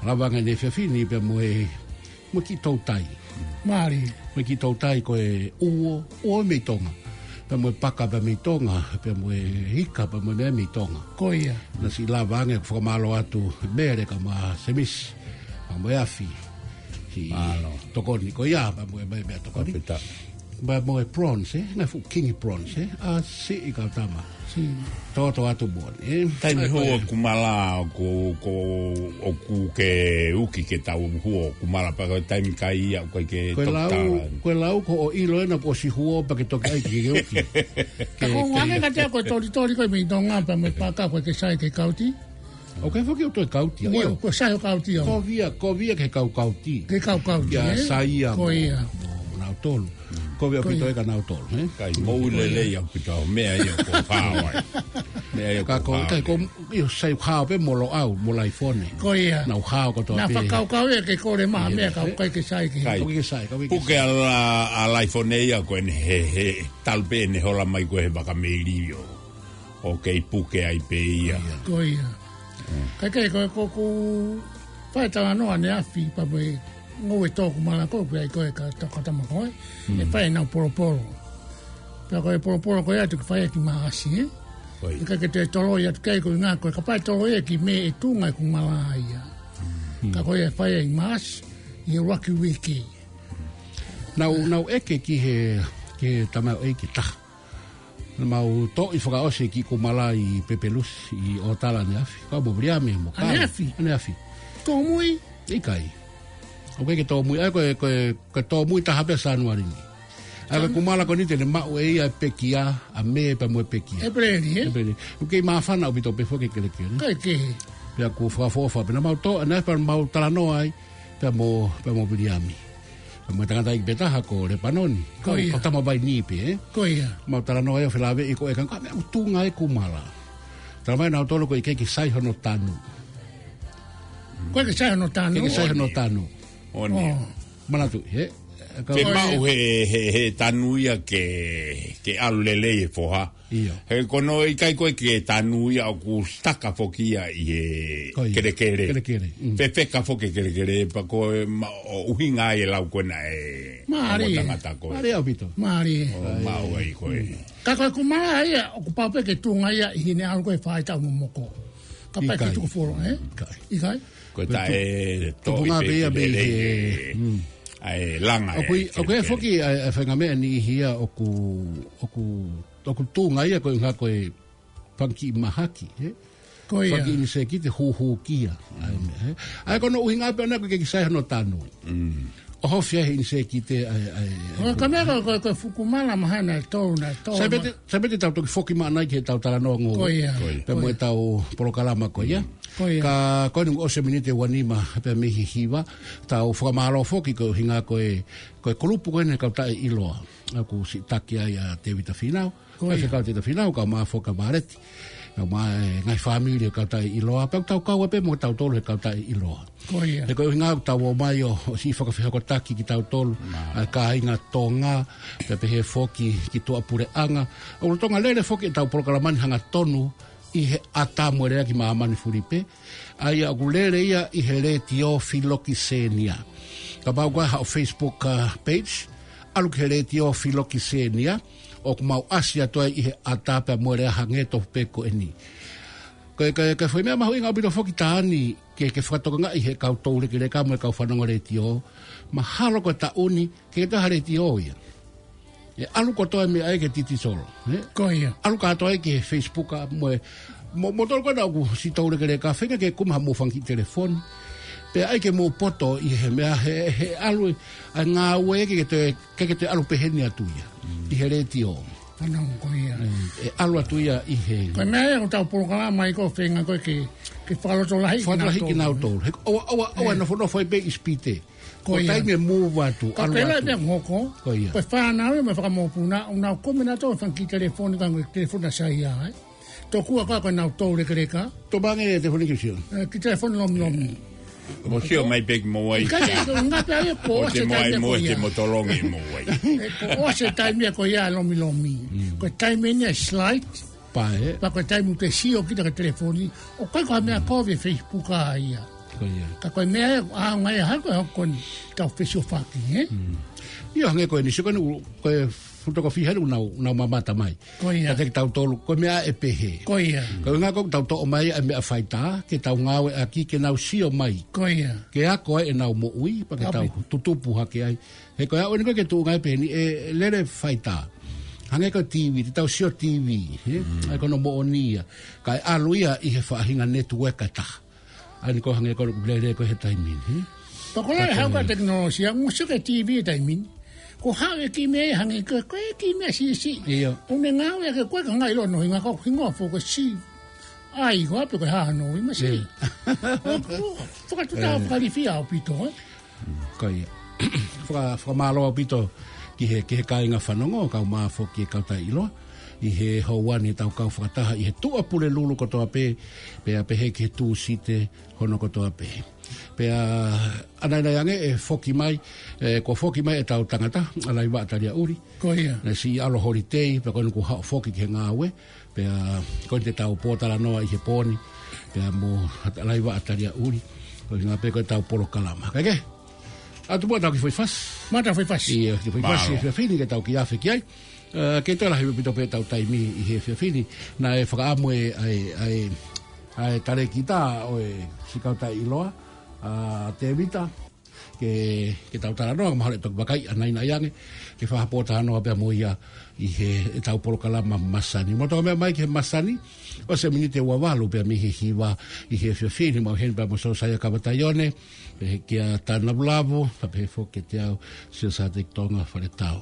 Lava ange ʻene efiafi ni pea mo e, mo e kiʻi toutai. Mālie. Mo e kiʻi toutai ko e uo, uo mei Tonga. Pea mo e paka pea mei Tonga, pea mo e ika pea mo e meʻa mei Tonga. Ko ia. Naʻe siʻi lava ange ʻo fakamālō atu Mele kae ʻumaʻā Semisi, pea mo e afi. Ki Mālō. tokoni ko ia, pea mo e meʻa, meʻa tokoni. Pea mo e prawns, ē? Ngaahi fuʻu kingi prawns, ē? ʻA siʻi kau tama. Siʻi. Tōtō atu moʻoni, ē? Taimi Ē, hū ko ʻo e kumala ʻoku, ʻoku, ʻoku ke uki ke tau hū ʻo kumala pea ko e taimi kai ia ʻoku ʻikai ke Ko e lau, tokotala. ko e lau ko hoʻo ʻilo ena kuo ʻosi hū pea ke toki ʻai ke ke uki. Ka Ke, ko ke ngā ke ngata ko e tolitoli ko e mei Tonga pea mo e paka ko e ke sai ke kauti. ʻOku ʻikai foki ʻoku toe kauti, ʻio. Ko sai ʻo kauti au. Ko via, ko via ke kau kauti. Ke kau kauti, Kia ē? Saia Ko mo, ia. mo, mo nautolu. Ko via Ko ʻaupito ia. ʻe kinautolu, ē? Kai, mou lelei ʻaupito au. Meʻa ia ʻoku hao ai. Meʻa ia Ka ʻoku ko, hao kai ko, ai. ʻio, sai hao pē mo Loʻau, mo Laifone. Ko ia. Naʻa ku hao kotoa Naʻa pē. fakakaukau ia ke kole maha Ia, meʻa ka ē? ʻoku ʻikai ke sai ke. Kai. ʻOku ʻikai ke sai, ka ʻoku ʻikai ke Puke sai. ʻa La, ʻa Laifone ia ko eni he, he, talu pē ʻene hola mai ko ē he vaka meili ʻo ʻo kei puke ai pē ia. Ko ia. Ka ʻikai ko, ko, ko, fai talanoa ʻaneafi pea mo e ngoue tō kumala ko, pea ʻi ko e ka, ka tama ko ē. ʻE fai ʻenau polopolo. Pea ko e polopolo ko ia ʻoku fai ki Maʻasi, ē? Ko ia. ʻIkai ke toe toloi atu ki ai ko e ngā ko e ka fai toloi ia ki Mē ʻe tuʻunga e kumala ia. Ka ko ia ʻe fai ʻi Maʻasi, ʻi he ʻuluaki uike. Naʻa ku, naʻa ku ʻeke ki he, ki he tamaioʻeiki taha. Naʻa mau toʻo fakaʻosi e kiʻi kumala ʻi Pepelusi, ʻi ʻOtala ʻaneafi. Kau mo Viliami mo Kau. ʻAneafi? ʻAneafi. Tōmui? ʻIkai. ʻOku ʻikai ke tōmui. ʻA ia ko e, ko e, ko e tōmui taha pē Sānuali ni. ʻA ia ko e kumala ko eni te ne maʻu ʻe ia e pekia, ʻa Mē pea mo e pekia. ʻEpeleli, ē? ʻEpeleli. ʻOku kei māfana ʻaupito pē foki e kelekele. Kai ke. Pea ʻoku fakaʻofoʻofa pē naʻa mau toʻo, ʻaneafi pea mau talanoa ai, pea mo, pea mo Viliami. Pea mo e tangataʻeiki pē taha ko Lepanoni. Ko Kau, ia. kau tama vai ni pē, ē? Ko ia. Mau talanoa ai ʻo felāveʻi ko e kanga, ka meʻa ʻoku tuʻunga e kumala. Talamai nautolu ko e ʻikai ke sai hono tanu. Ko e ke sai hono tanu. ʻIkai ke sai hono tanu. ʻOni. ʻO. Manatu, ē? Ka Ke ʻoku maʻu he, he, he tanu ia ke, ke ʻalu lelei e foha. ʻIo. He ko hono ʻikai ko ē ke tanu ia ʻoku sitaka foki ia ʻi he Ko ia. kelekele. Kelekele, mm. Fefeka foki e kelekele, pea ko e ma-, ʻo ʻuhinga ai e lau ko ena ʻe Mālie. ʻo tangata ko ē. Mālie ʻaupito. Mālie. ʻO maʻu ai ko ē. Ka ko e kumala ia, ʻoku pau pē ke tuʻunga ia ʻi heʻene ʻalu ko ē faʻahitaʻu momoko. Kapau ʻe ʻIkai. tuku folo, ē? ʻIkai. ʻIkai? Ko e Ko e taʻe tu-, toʻo tupunga pē pē ia ki mei lelei he, e, mm. ʻa e langa ʻOku ʻi, e ʻoku ʻi ai kelekele. foki ʻa e, ʻa e faʻahinga meʻa niʻihi ia ʻoku, ʻoku, ʻoku tuʻunga ia ko e ʻuhinga ko e fanga kiʻi mahaki, ē? Ko ia. Fanga kiʻi ʻinisēkite hūhū kia. ʻA e meʻa, ē? ʻA ia ko hono ʻuhinga pē ʻana ko e ʻikai ke sai hono tanu. Mm. ʻO hofi ai he ʻinisēkite ʻa e, ʻa e, ʻa e ʻOku ka meʻa ko, ko, ko e fuʻu kumala mahana e tolu na e tolu Sai pē te, ma- sai pē te tau toki foki maʻana ki heʻetau talanoa ngoue. Ko ia. Ko ia. Pea mo Ko ia. ʻetau polokalama ko ia. Ko ia. Ka ko eni ʻosi e miniti ʻe uanima pē mei he hiva, tau fakamālō foki ko e ʻuhinga ko e, ko e kulupu ko eni e kau taʻeʻiloa. ʻOku siʻi taki ai ʻa Tēvita Fīnau. Ko ia. Faifekau Tēvita Fīnau, kau mo Foka Vāleti. Kae ʻumaʻā e ngaahi fāmili ʻo e Kautaʻeʻiloa, pea ʻoku tau kau ai pē mo kitautolu he Kautaʻeʻiloa. Ko ia. He ko e ʻuhinga ʻoku tau ō mai ʻo, ʻo siʻi fakafehokotaki kitautolu, ʻa e kāinga Tonga, pea pehē foki ki tuʻapuleʻanga. ʻOku lolotonga lele foki ʻetau polokalama ni hangatonu ʻi he ʻatā mo e lea ki māmani fulipē. ʻA ia ʻoku lele ia ʻi he Letiō Filokisenia. Kapau ʻoku ʻi ai haʻo Facebook, uh, page, ʻalu ki he Letiō Filokisenia, ʻoku mau ʻasi atu ai ʻi he ʻatā pea mo e lea hangē tofu pē ko eni. Ko e, ko e, ko e foʻi meʻa mahuʻinga ʻaupito foki taha ni ke, ke fakatokangaʻi he kau toulekeleka mo e kau fanongo letiō, mahalo ko e taʻu ni, ʻikai ke toe ʻi ai ha letiō ia. ʻE ʻalu kotoa e meʻa ia ki he digital, ē? Ko ia. ʻAlu kātoa ia ki he Facebook ʻa mo e, mo, mo tolu ko ena ʻoku siʻi toulekeleka, feinga ke kumi haʻamou fanga kiʻi telefoni. Pea ʻai ke mou poto ʻi he meʻa he, he ʻalu ʻa e ngāue ʻikai ke toe, ʻikai ke toe ʻalu pehē ni atu ia. ʻI he letiō. Fanongo ko ia. ʻE, ʻe ʻalu atu ia ʻi he. Ko e meʻa ia ʻoku tau polokalama ai ko e feinga ko ē ke, ke fakalotolahi. Fakalotolahi kinautolu. He ʻoua, ʻoua, ʻoua ʻe nofonofo ai pē ʻi sipite. Ko ia. Ko e taimi ʻe move atu, ʻalu atu. Ka ko e lahi pē ʻoku hoko. Ko ia. Ko e fānau ia mo e fakamokopuna, ʻoku nau kumi nautolu e fanga kiʻi telefoni, ka ko e telefoni ʻa Saia, ē. Tokua ko ē ko ʻenau toulekeleka. Tō mai ange e telefoni ki he sio. Ē, kiʻi telefoni lomilomi. Mo sio mai pē ki mo ai. Ka ko e ngata ia ko ʻosi e taimi ko ia. Te mo tolongi mo ai. Ē, ko ʻosi e taimi ko ia lomilomi. Ko e taimi eni ʻa e slide. Pea ē. Pea ko e taimi ʻoku te sio kita ki he telefoni, ʻoku ʻikai ko ha meʻa kovi e Facebook ʻa ia. Ko ia. Ka ko e meʻa ia, ʻa, ngaahi hako e hoko ni, tau fesiofaki, ē? ʻIo, hangē ko eni, sio ko eni, ko e fotokōfia helu ʻoku nau, nau mamata mai. Ko ia. Ka te kitautolu, ko e meʻa ʻe pehē. Ko ia. Ko e ʻuhinga ko ē ʻoku tau toʻo mai ʻa e meʻa faitā, ke tau ngāueʻaki, ke nau sio mai. Ko ia. Ke ako ai ʻenau moʻui, pea ke tau tutupu hake ai. He ko e ʻaho ni ko ē ke tuʻunga ai pē eni ʻe lele faitā. Hangē ko e TV, te tau sio TV, ē? ʻA ia ko hono moʻoni ia. Kae ʻalu ia ʻi he faʻahinga network ʻe taha. ʻA ia ko e hangē ko e lele ko ē he taimi ni, ē? Pea ko e lahi e hau ko ē ʻa e tekinolosia, mo sio ki he TV he taimi ni. Ko e hā e kiʻi meʻa ia hangē ko e, ko e kiʻi meʻa siʻisiʻi. ʻIo. ʻOku ne ngāueʻaki ko e ka ngaahi ʻilo hono hingoa, ko e hingoa foki ko e si. ʻAi, ko e hā pē ko e hā hono ui masi. ʻIo. Ko, ko, fakatuʻutāmaki fakalifia ʻaupito, ē? Ko ia. Faka-, fakamālō ʻaupito ki he, ki he kāinga fanongo, kae ʻumaʻā foki e Kautaʻeʻiloa, ʻi he houa ni ʻetau kau fakataha ʻi he Tuʻapulelulu kotoa pē, pea pehē ki he Tūsite hono kotoa pē. Pea ʻanai ange ʻe foki mai, ē, kuo foki mai ʻetau tangata, ʻa Laivaʻa Taliaʻuli. Ko ia. Naʻe siʻi ʻalu holiday, pea ko eni kuo haʻu foki ki he ngāue, pea ko eni te tau pōtalanoa ʻi he pō ni, pea mo Laivaʻa Taliaʻuli, ko e ʻuhinga pē ko ʻetau polokalama. Kae kehe, ʻatu muʻa ʻetau kiʻi foʻi fasi. Mo ʻetau foʻi fasi. ʻIo, kiʻi foʻi fasi, mālō. He efiafi ni ke tau kiʻi afe ki ai. Ē, ʻikai toe lahi ʻaupito pē ʻetau taimi ʻi he efiafi ni. Naʻe fakaʻamu ʻe, ʻa e, ʻa e, ʻa e talēkita ʻo e siʻi Kautaʻeʻiloa, ʻa Tēvita, ke, ke tau talanoa, mahalo ʻe toki vakai ʻanai ange, ke fai ha pōtalanoa pea mo ia ʻi he, ʻetau polokalama masani. Mou toki meʻa mai ki he masani, ʻosi e miniti ʻe ua valu pea mei he hiva ʻi he efiafi ni, mau ʻi heni pea mo Siosaia Kavataione, pehē kia Tana Vulavu, pea pehē foki kiate au, Siosaia Teki Tonga Faletau.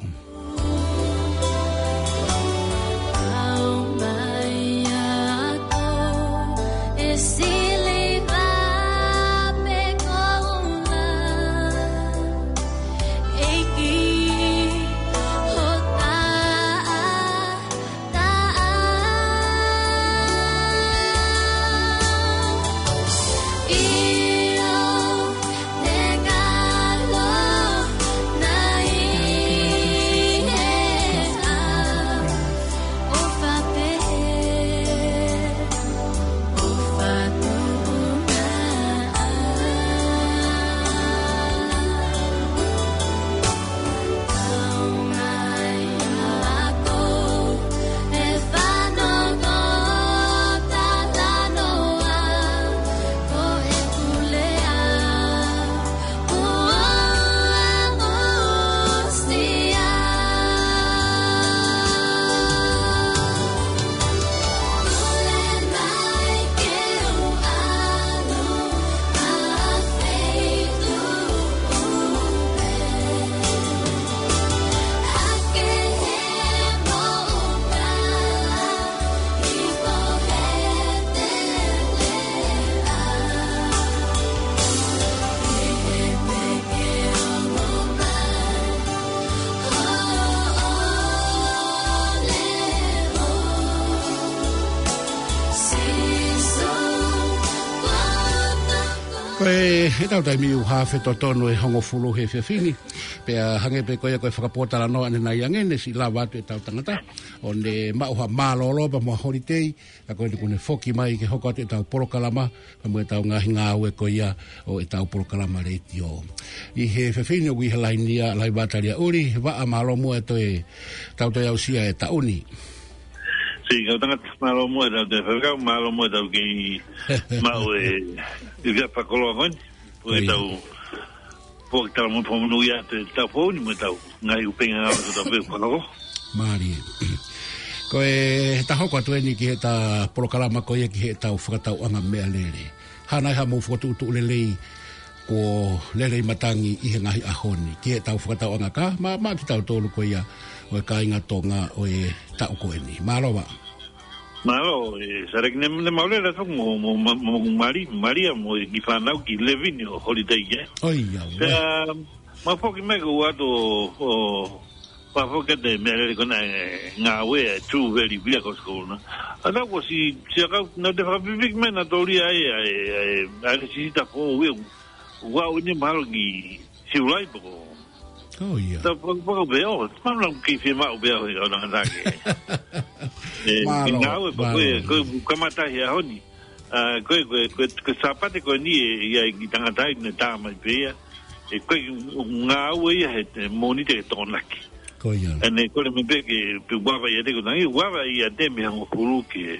Ko e, ʻetau taimi ʻoku haafe totonu e hongofulu he efiafi ni. Pea hangē pē ko ia ko e fakapōtalanoa ʻanenai ange, ne siʻi lava atu ʻetau tangata ʻo ne maʻu ha mālōlō pea mo e holiday, ka ko eni kuo ne foki mai ke hoko atu ʻetau polokalama, pea mo ʻetau ngaahi ngāue ko ia ʻo ʻetau polokalama letiō. ʻI he efiafi ni ʻoku ʻi he laini ʻa Laiva Taliaʻuli. Vaʻa, mālō muʻa e toe, tau toe aʻusia e taʻu ni. Siʻi kau tangata, mālō muʻa e tau toe fakakau, mālō muʻa e tau kei maʻu e, e fakakoloa ko eni. Ko ia. Ko ʻetau, ko ʻetau mo fakamonūʻia atu e taʻu foʻou ni mo ʻetau ngaahi ʻuhinga ngāue ko ʻetau pē fakakoloa. Mālie. Ko e ta hoko atu eni ki heʻeta polokalama ko ia ki heʻetau fakatauʻanga meʻalele. Hā nai haʻamou fokotuʻutuʻu lelei kuo lelei matangi ʻi he ngaahi ʻaho ni ki heʻetau fakatauʻanga ka, ma, ma kitautolu ko ia ʻo e kāinga Tonga ʻo e taʻu ko eni. Mālō Vaʻa. Mālō, e, Sareki, ne, ne mau lele atu mo, mo, mo, mo Mali, Malia mo e kiʻi fānau ki Levini ʻo holiday ke. ʻOi, ia, Pea, ua. ma foki mai ko atu ʻo, ʻo, ma foki atu e meʻalele ko ena e ngāue e True Value Vehicles ko ena. ʻA tau ko si, si a kau, na te fakapipiki mai na tōlia ai, ai, ai, ai, si ta fo ue, ua ʻo ne mahalo ki Siulai poko. ʻOi, ia. Ta poko, poko pē, ʻo, mana ki fie maʻu pē, ʻo, ʻo, na, na, ke. E, Mālō, ki ngāue, poko, mālō. e, ko, kamata he ʻaho ni. ʻA, ko, ko, ko, ko Sāpate ko eni e, ia, ki tangata ai, ne tā mai pē ia. E, ko, ngāue ia he, te, Mōnite he Tokonaki. Ko ia. ʻA eni, ko le me pē ke, pe uava ia te ko tangi, uava ia te mei he hongofulu ki he,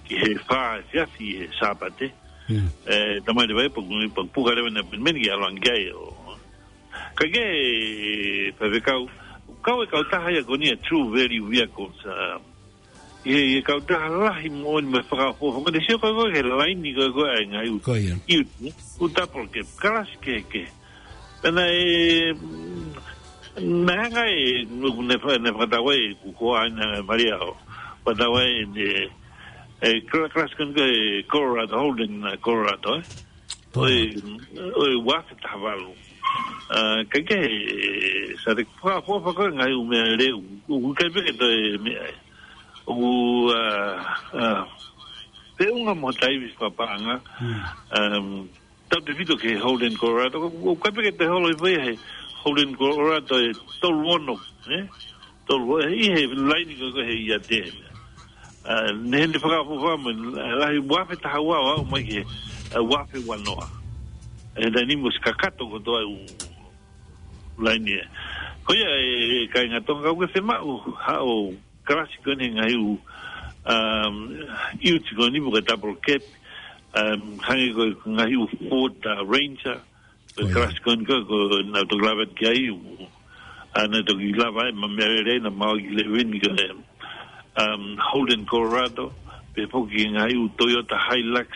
ki he fā efiafi he Sāpate. Mm. E, tamai le vai, pa, pa, puka le na meni ki ʻalu ange ai ʻo. Ka ke, Faifekau, kau e kautaha ia ko eni e True Value Vehicles, ʻa, ʻi he, ʻi he kautaha lahi moʻoni mo fakaʻofoʻofa, ko ʻene sio ko ē ko ē he laini ko ē ko ē ʻa e ngaahi ʻū, Ko ia. ʻū, ʻū double cab, kalasi kehekehe. Pea naʻe, mm, naʻe hanga ʻe, ne fa-, ne fakatau ai, kuo ko ena Malia ʻo fakatau ai ʻene, e, kla-, kalasi ko eni ko e Colorado, Holden, ʻa, Colorado, e. ʻOi, ʻoi, ua afe taha valu. ʻA, ka ke, Sareki, fakaʻofoʻofa ko e ngaahi ʻū meʻalele, ʻoku ʻikai pē ke toe meʻa ai. ʻOku, ʻa, ʻa, feʻunga mo e taivi fakapaʻanga. Mm. Um, tautefito ki he Holden Colorado, ʻoku, ʻoku ʻikai pē ke toe holo hifo ia he Holden Colorado e tolu ono, e? Tolu, e, ʻi he laini ko ē ko ē he ia te. ʻA, ne, ne fakaʻofoʻofa mo, ʻa, lahi ua afe taha ua ʻo aʻu mai ki he, ʻa, ua afe ua noa. E, taimi ni mo si kakato kotoa e ʻū laini e. Ko ia e, e kāinga Tonga ʻoku ke fiemaʻu haʻo kalasi ko eni he ngaahi ʻū, um, ʻiuti ko eni mo e double cab, um, hangē ko e ngaahi ʻū Ford, ʻa, Ranger, Ko ia. Kalasi ko eni ko, ko naʻa toki lava ki ai, ʻa, naʻa toki lava ai, ma meʻalele ai, naʻa mau ki Levini ko e, um, Holden Colorado, pea foki ngaahi ʻū Toyota Hilux,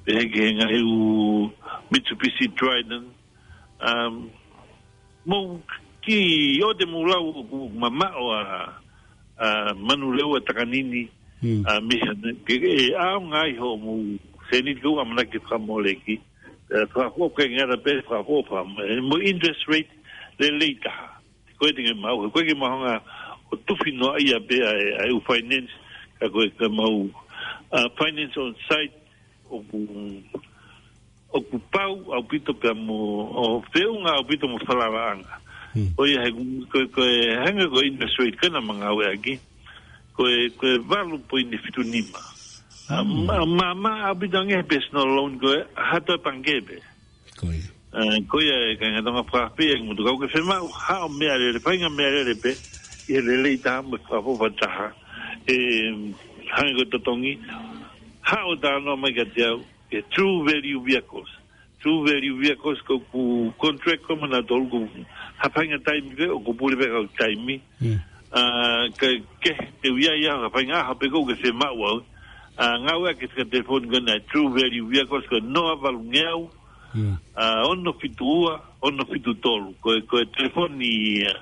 pea ki he ngaahi ʻū Mitsubishi Triton, um, mo ki ʻo te mo lau ʻoku mamaʻo ʻa, ʻa Manurewa Takanini, Mm. ʻa, mei he, ke, e, ʻaonga ai hoʻomou sēniti ko ʻamanaki fakamoleki, e, fakaʻofoʻofa ke ngata pē fakaʻofoʻofa, e, mo interest rate lelei taha. Ko e te ke mau, ko e ke mau hanga ʻo tufi noa ia pē ʻa e, ʻa e ʻū finance, ka ko e ke mau, ʻa, finance on site, ʻoku, ʻoku pau ʻaupito pea mo, ʻo feʻunga ʻaupito mo falalaʻanga. Hmm. ʻO ia he, ko, ko e hanga ko e interest rate ko ena ma ngāueʻaki. Ko e, ko e valu poini fitu nima. ʻA, Hmm. ma, ma, ma, ʻaupito ange he personal loan ko e, ha toe pangikē pē. Ko ia. ʻA, ko ia e kāinga Tonga fakafeʻiloaki mo tuku ke fiemaʻu, haʻo meʻalele, faʻahinga meʻalele pē, ʻi he lelei taha mo e fakaʻofoʻofa taha. E, hangē ko e totongi, haʻo talanoa mai kiate au, e True Value Vehicles. True Value Vehicles ko ʻeku contract ko ē mo nautolu ko ha faʻahinga taimi pē, ʻoku pule pē kau taimi. Mm. ʻA, ke, ke, te u ʻi ai ha faʻahinga ʻaho pē ko ē ke fiemaʻu au. ʻA, ngāueʻaki e telefoni ko ena True Value Vehicles ko e noa valu ngeau, Mm. ʻa, ono fitu ua, ono fitu tolu. Ko e, ko e telefoni, ʻa,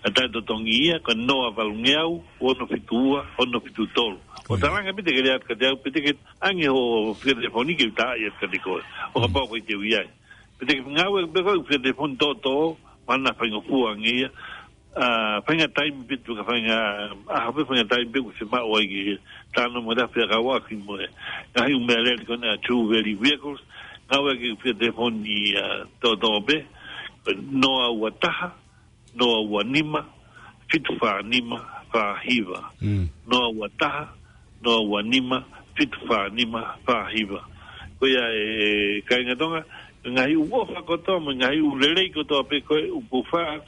ʻa e totongi ia, ko e noa valu ngeau, ono fitu ua, ono fitu tolu. Ko ia. ʻO talaange pē te ke lea atu kiate au, pe te ke ʻange hoʻo fika telefoni ke u tā ia kiate koe. ʻO kapau ko e te u ʻi ai. Pe te ke ngāue pē ko e fika telefoni tōtō, mana faingofua ange ia. ʻA, faʻahinga taimi pē, tuku faʻahinga, ʻa, ha pē faʻahinga taimi pē ʻoku fiemaʻu ai ke talanoa mo e taha pē ʻa e kau ʻaki mo e ngaahi ʻū meʻalele ko ena True Value Vehicles, ngāue ki he fika telefoni, ʻa, toʻotoʻo pē, noa ua taha, noa ua nima, fitu fā nima, fā hiva. Mm. Noa ua taha, noa ua nima, fitu fā nima, fā hiva. Ko ia e kāinga Tonga, ngaahi ʻū ʻofa kotoa, mo e ngaahi ʻū lelei kotoa pē ko ē ʻoku faʻa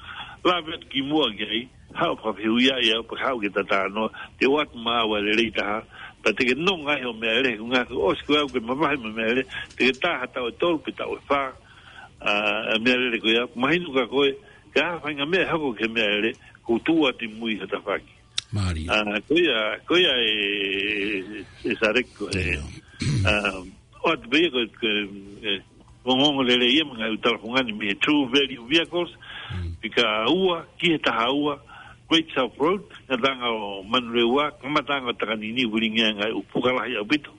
lave atu ki muʻa ki ai, haʻu fakafehuʻia ia, pea haʻu ke ta talanoa, te u ʻoatu maʻau ʻa e lelei taha, pea te ke nonga ai hoʻo meʻalele, ko e ngaahi ʻosi ko ē ʻoku ke mavahe mo e meʻalele, te ke tā ha taʻu ʻe tolu pe taʻu ʻe fā, ʻa, ʻa e meʻalele ko ia, mahino kia koe, ka ʻi ai ha faʻahinga meʻa ʻe hoko ki he meʻalele, ʻoku tuʻu atu ʻi mui ha tafaʻaki. Mālie. ʻA, ko ia, ko ia e, e, e Sarek ko e. ʻIo. ʻA, ʻoatu pē ia ko e, ko e, e, ongoongo lelei ia mo e ngaahi ʻū talafungani mei he True Value Vehicles, Mm. fika ua ki he taha ua, Great South Road, ngataʻanga ʻo Manurewa, kamataʻanga ʻo Takanini, Vilingia, ngaahi ʻū puka lahi ʻaupito.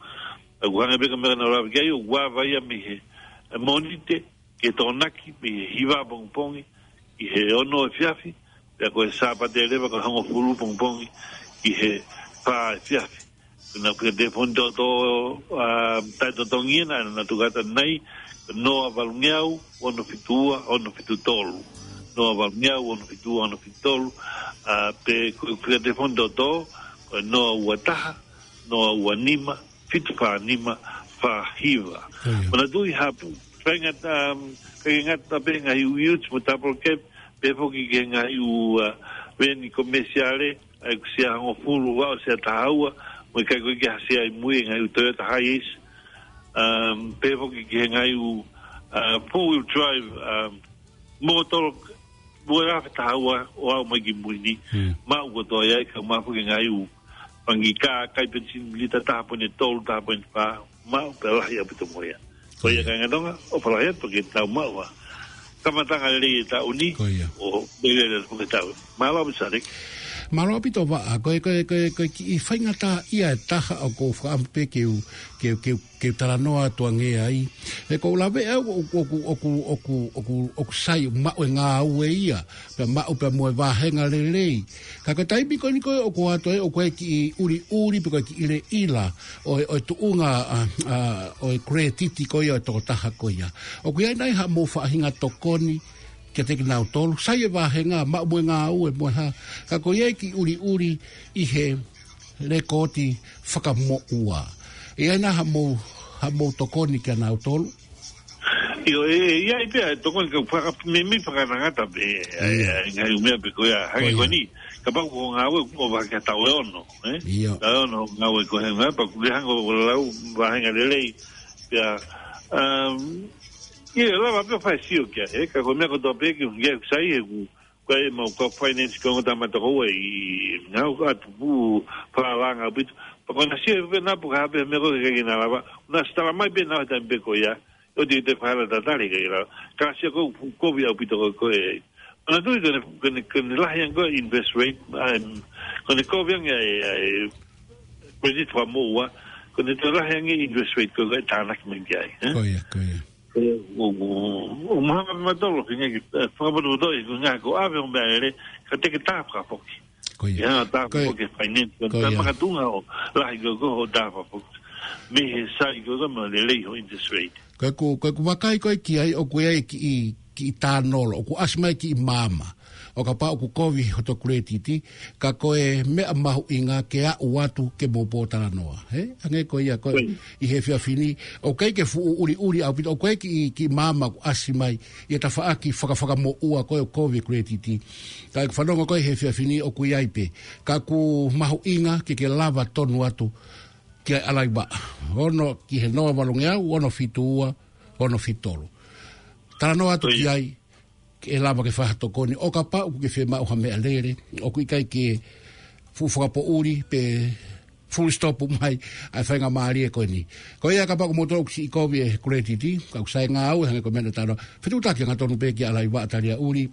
ʻOku hangē pē ko e meʻa naʻa ku lave ki ai, ʻoku ava ia mei he, e, Mōnite, ki he Tokonaki, mei he hiva pongipongi ki he ono efiafi, pea ko e Sāpate leva ko e hongofulu pongipongi ki he fā efiafi. Ko e fika telefoni toʻotoʻo, ʻa, taʻetotongi ena, naʻa nau tuku atu ʻanenai, noa valungeau, ono fitu ua, ono fitu tolu. Noa valungeau, ono fitu ua, ono fitu tolu. ʻA, pe ko e fika telefoni toʻotoʻo, ko e noa ua taha, noa ua nima, fitu fā nima, fā hiva. ʻIo. Manatuʻi ha faʻahinga, um, kāinga Tonga pē ngaahi ʻū ute mo e double cab, pehē foki ki he ngaahi ʻū, ʻa, veni komesiale, ʻa ia ko e sia hongofulu, ʻa, ʻo e sia taha ua, mo e ʻikai ko e ke ha sia ʻi mui, ngaahi ʻū Toyota Hiace, um, pehē foki ki he ngaahi ʻū, ʻa, four wheel drive, um, mōtolo, ua afe taha ua ʻo aʻu mai ki mui ni. Hmm. Maʻu kotoa ia, ʻikai maʻu foki ngaahi ʻū fanga kiʻi kā, kai penisini lita taha poini tolu, taha poini fā, maʻu pē lahi ʻaupito mo ia. Ko ia, Ko ia. kāinga Tonga, ʻofa lahi atu ke tau maʻu ʻa e kamataʻanga lelei e taʻu ni, Ko ia. ʻo lelei lelei foki e taʻu. Mālō ʻaupito Sarek. Mālō ʻaupito Vaʻa, ko e, ko e, ko e, ko e kiʻi faingataʻa ia e taha ʻoku ou fakaʻamu pē ke u, ke u, ke u, ke u talanoa atu ange ai. He ʻoku ou lave au ʻoku, ʻoku, ʻoku, ʻoku, ʻoku, ʻoku sai maʻu e ngāue ia, pea maʻu pē mo e vāhenga lelei. Ka ko e taimi ko eni ko ē ʻoku ʻoatu ai ʻoku ʻi ai e kiʻi ʻuliʻuli pe ko e kiʻi ʻilaʻila ʻo e, ʻo e tuʻunga, ʻa, ʻa, ʻo e credit ko ia ʻo e tokotaha ko ia. ʻOku ʻi ai nai haʻamou faʻahinga tokoni kiate kinautolu, sai e vāhenga, maʻu mo e ngāue mo e hā. Ka ko ia e kiʻi ʻuliʻuli ʻi he lekooti fakamoʻua. ʻI ai nai haʻamou, haʻamou tokoni kia nautolu? ʻIo, ʻe, ʻe, ʻi ai pē ʻa e tokoni ka faka-, meimei fakangatangata pē, ʻa, ʻIo. ʻa, ngaahi ʻū meʻa pē ko ia, hangē Ko ia. ko eni, kapau ko e ngāue ʻoku ʻova ki he taʻu ʻe ono, ē? ʻIo. Taʻu ʻe ono ngāue ko e hangē, pea ʻoku ke hanga ʻo lau vāhenga lelei, pea, um, ʻio, lava pē ʻo fai e sio ki ai, ē, ka ko e meʻa kotoa pē ke u ngia sai he ʻoku, ko e mau ko e finance ko e ongo tama toko ua ʻi, ngau atu pū, palanga ʻaupito, pea ko ʻena sio pē naʻa pu ka ha pē meʻa ko ē ke na lava, naʻa sio talamai pē naʻa he taimi pē ko ia, ʻoua te te fai ha tatali ke la. Ka sio ko e kovi ʻaupito ko ē. Manatuʻi ko ʻene, ko ʻene, ko ʻene lahi ange ko e interest rate, um, ko ʻene kovi ange ʻa e, ʻa e credit fakamoʻua, ko ʻene toe lahi ange interest rate ko ē ʻe tānaki mai ki ai, ē? Ko ia, ko ia. Ko ia, ʻo, ʻo, ʻo mahanga pē mautolu, ke ngeki, ē, fakapotopoto, ʻi he ngaahi ko e ʻave ʻo meʻalele, ka te ke tā fakafoki. Ko ia. Ia, tā Ko ia. fakafoki e finance, Ko tā ia. makatuʻunga ʻo lahi ko ē ko ē hoʻo tā fakafoki. Mei he sai ko ē ko ē mo e lelei hoʻo interest rate. Ko ʻeku, ko ʻeku vakai ko ē ki ai ʻoku ʻi ai e kiʻi, kiʻi tānolo, ʻoku ʻasi mai e kiʻi maama. ʻO kapau ʻoku kovi hoto credit, ka ko e meʻa mahuʻinga ke aʻu atu ke mou pōtalanoa. Hē? Hangē ko ia ko ē Ko ia. ʻi he efiafi ni, ʻoku ʻikai ke fuʻu ʻuliʻuli ʻaupito, ʻoku ʻikai ke kiʻi, kiʻi maama ʻoku ʻasi mai, ʻi he tafaʻaki fakafakamoʻua ko ē ʻoku kovi e credit. Ka ʻeku fanongo ko ē he efiafi ni ʻoku ʻi ai pē. Ka ʻoku mahuʻinga ke ke lava tonu atu ki ai ʻalaivaʻa. Ono ki he noa valungeau, ono fitu ua, ono fitu tolu. Talanoa atu Ko ia. ki ai, ke lava ke fai ha tokoni, ʻo kapau ʻoku ke fiemaʻu ha meʻalele, ʻoku ʻikai ke fuʻu fakapoʻuli, pe full stop mai, ʻa e faingamālie ko eni. Ko ia kapau ʻoku mou tō ʻoku siʻi kovi e credit, ka ʻoku sai ngāue, hangē ko e meʻa naʻa tau talanoa. Fetuʻutaki angatonu pē ki ʻalaivaʻa taliaʻuli,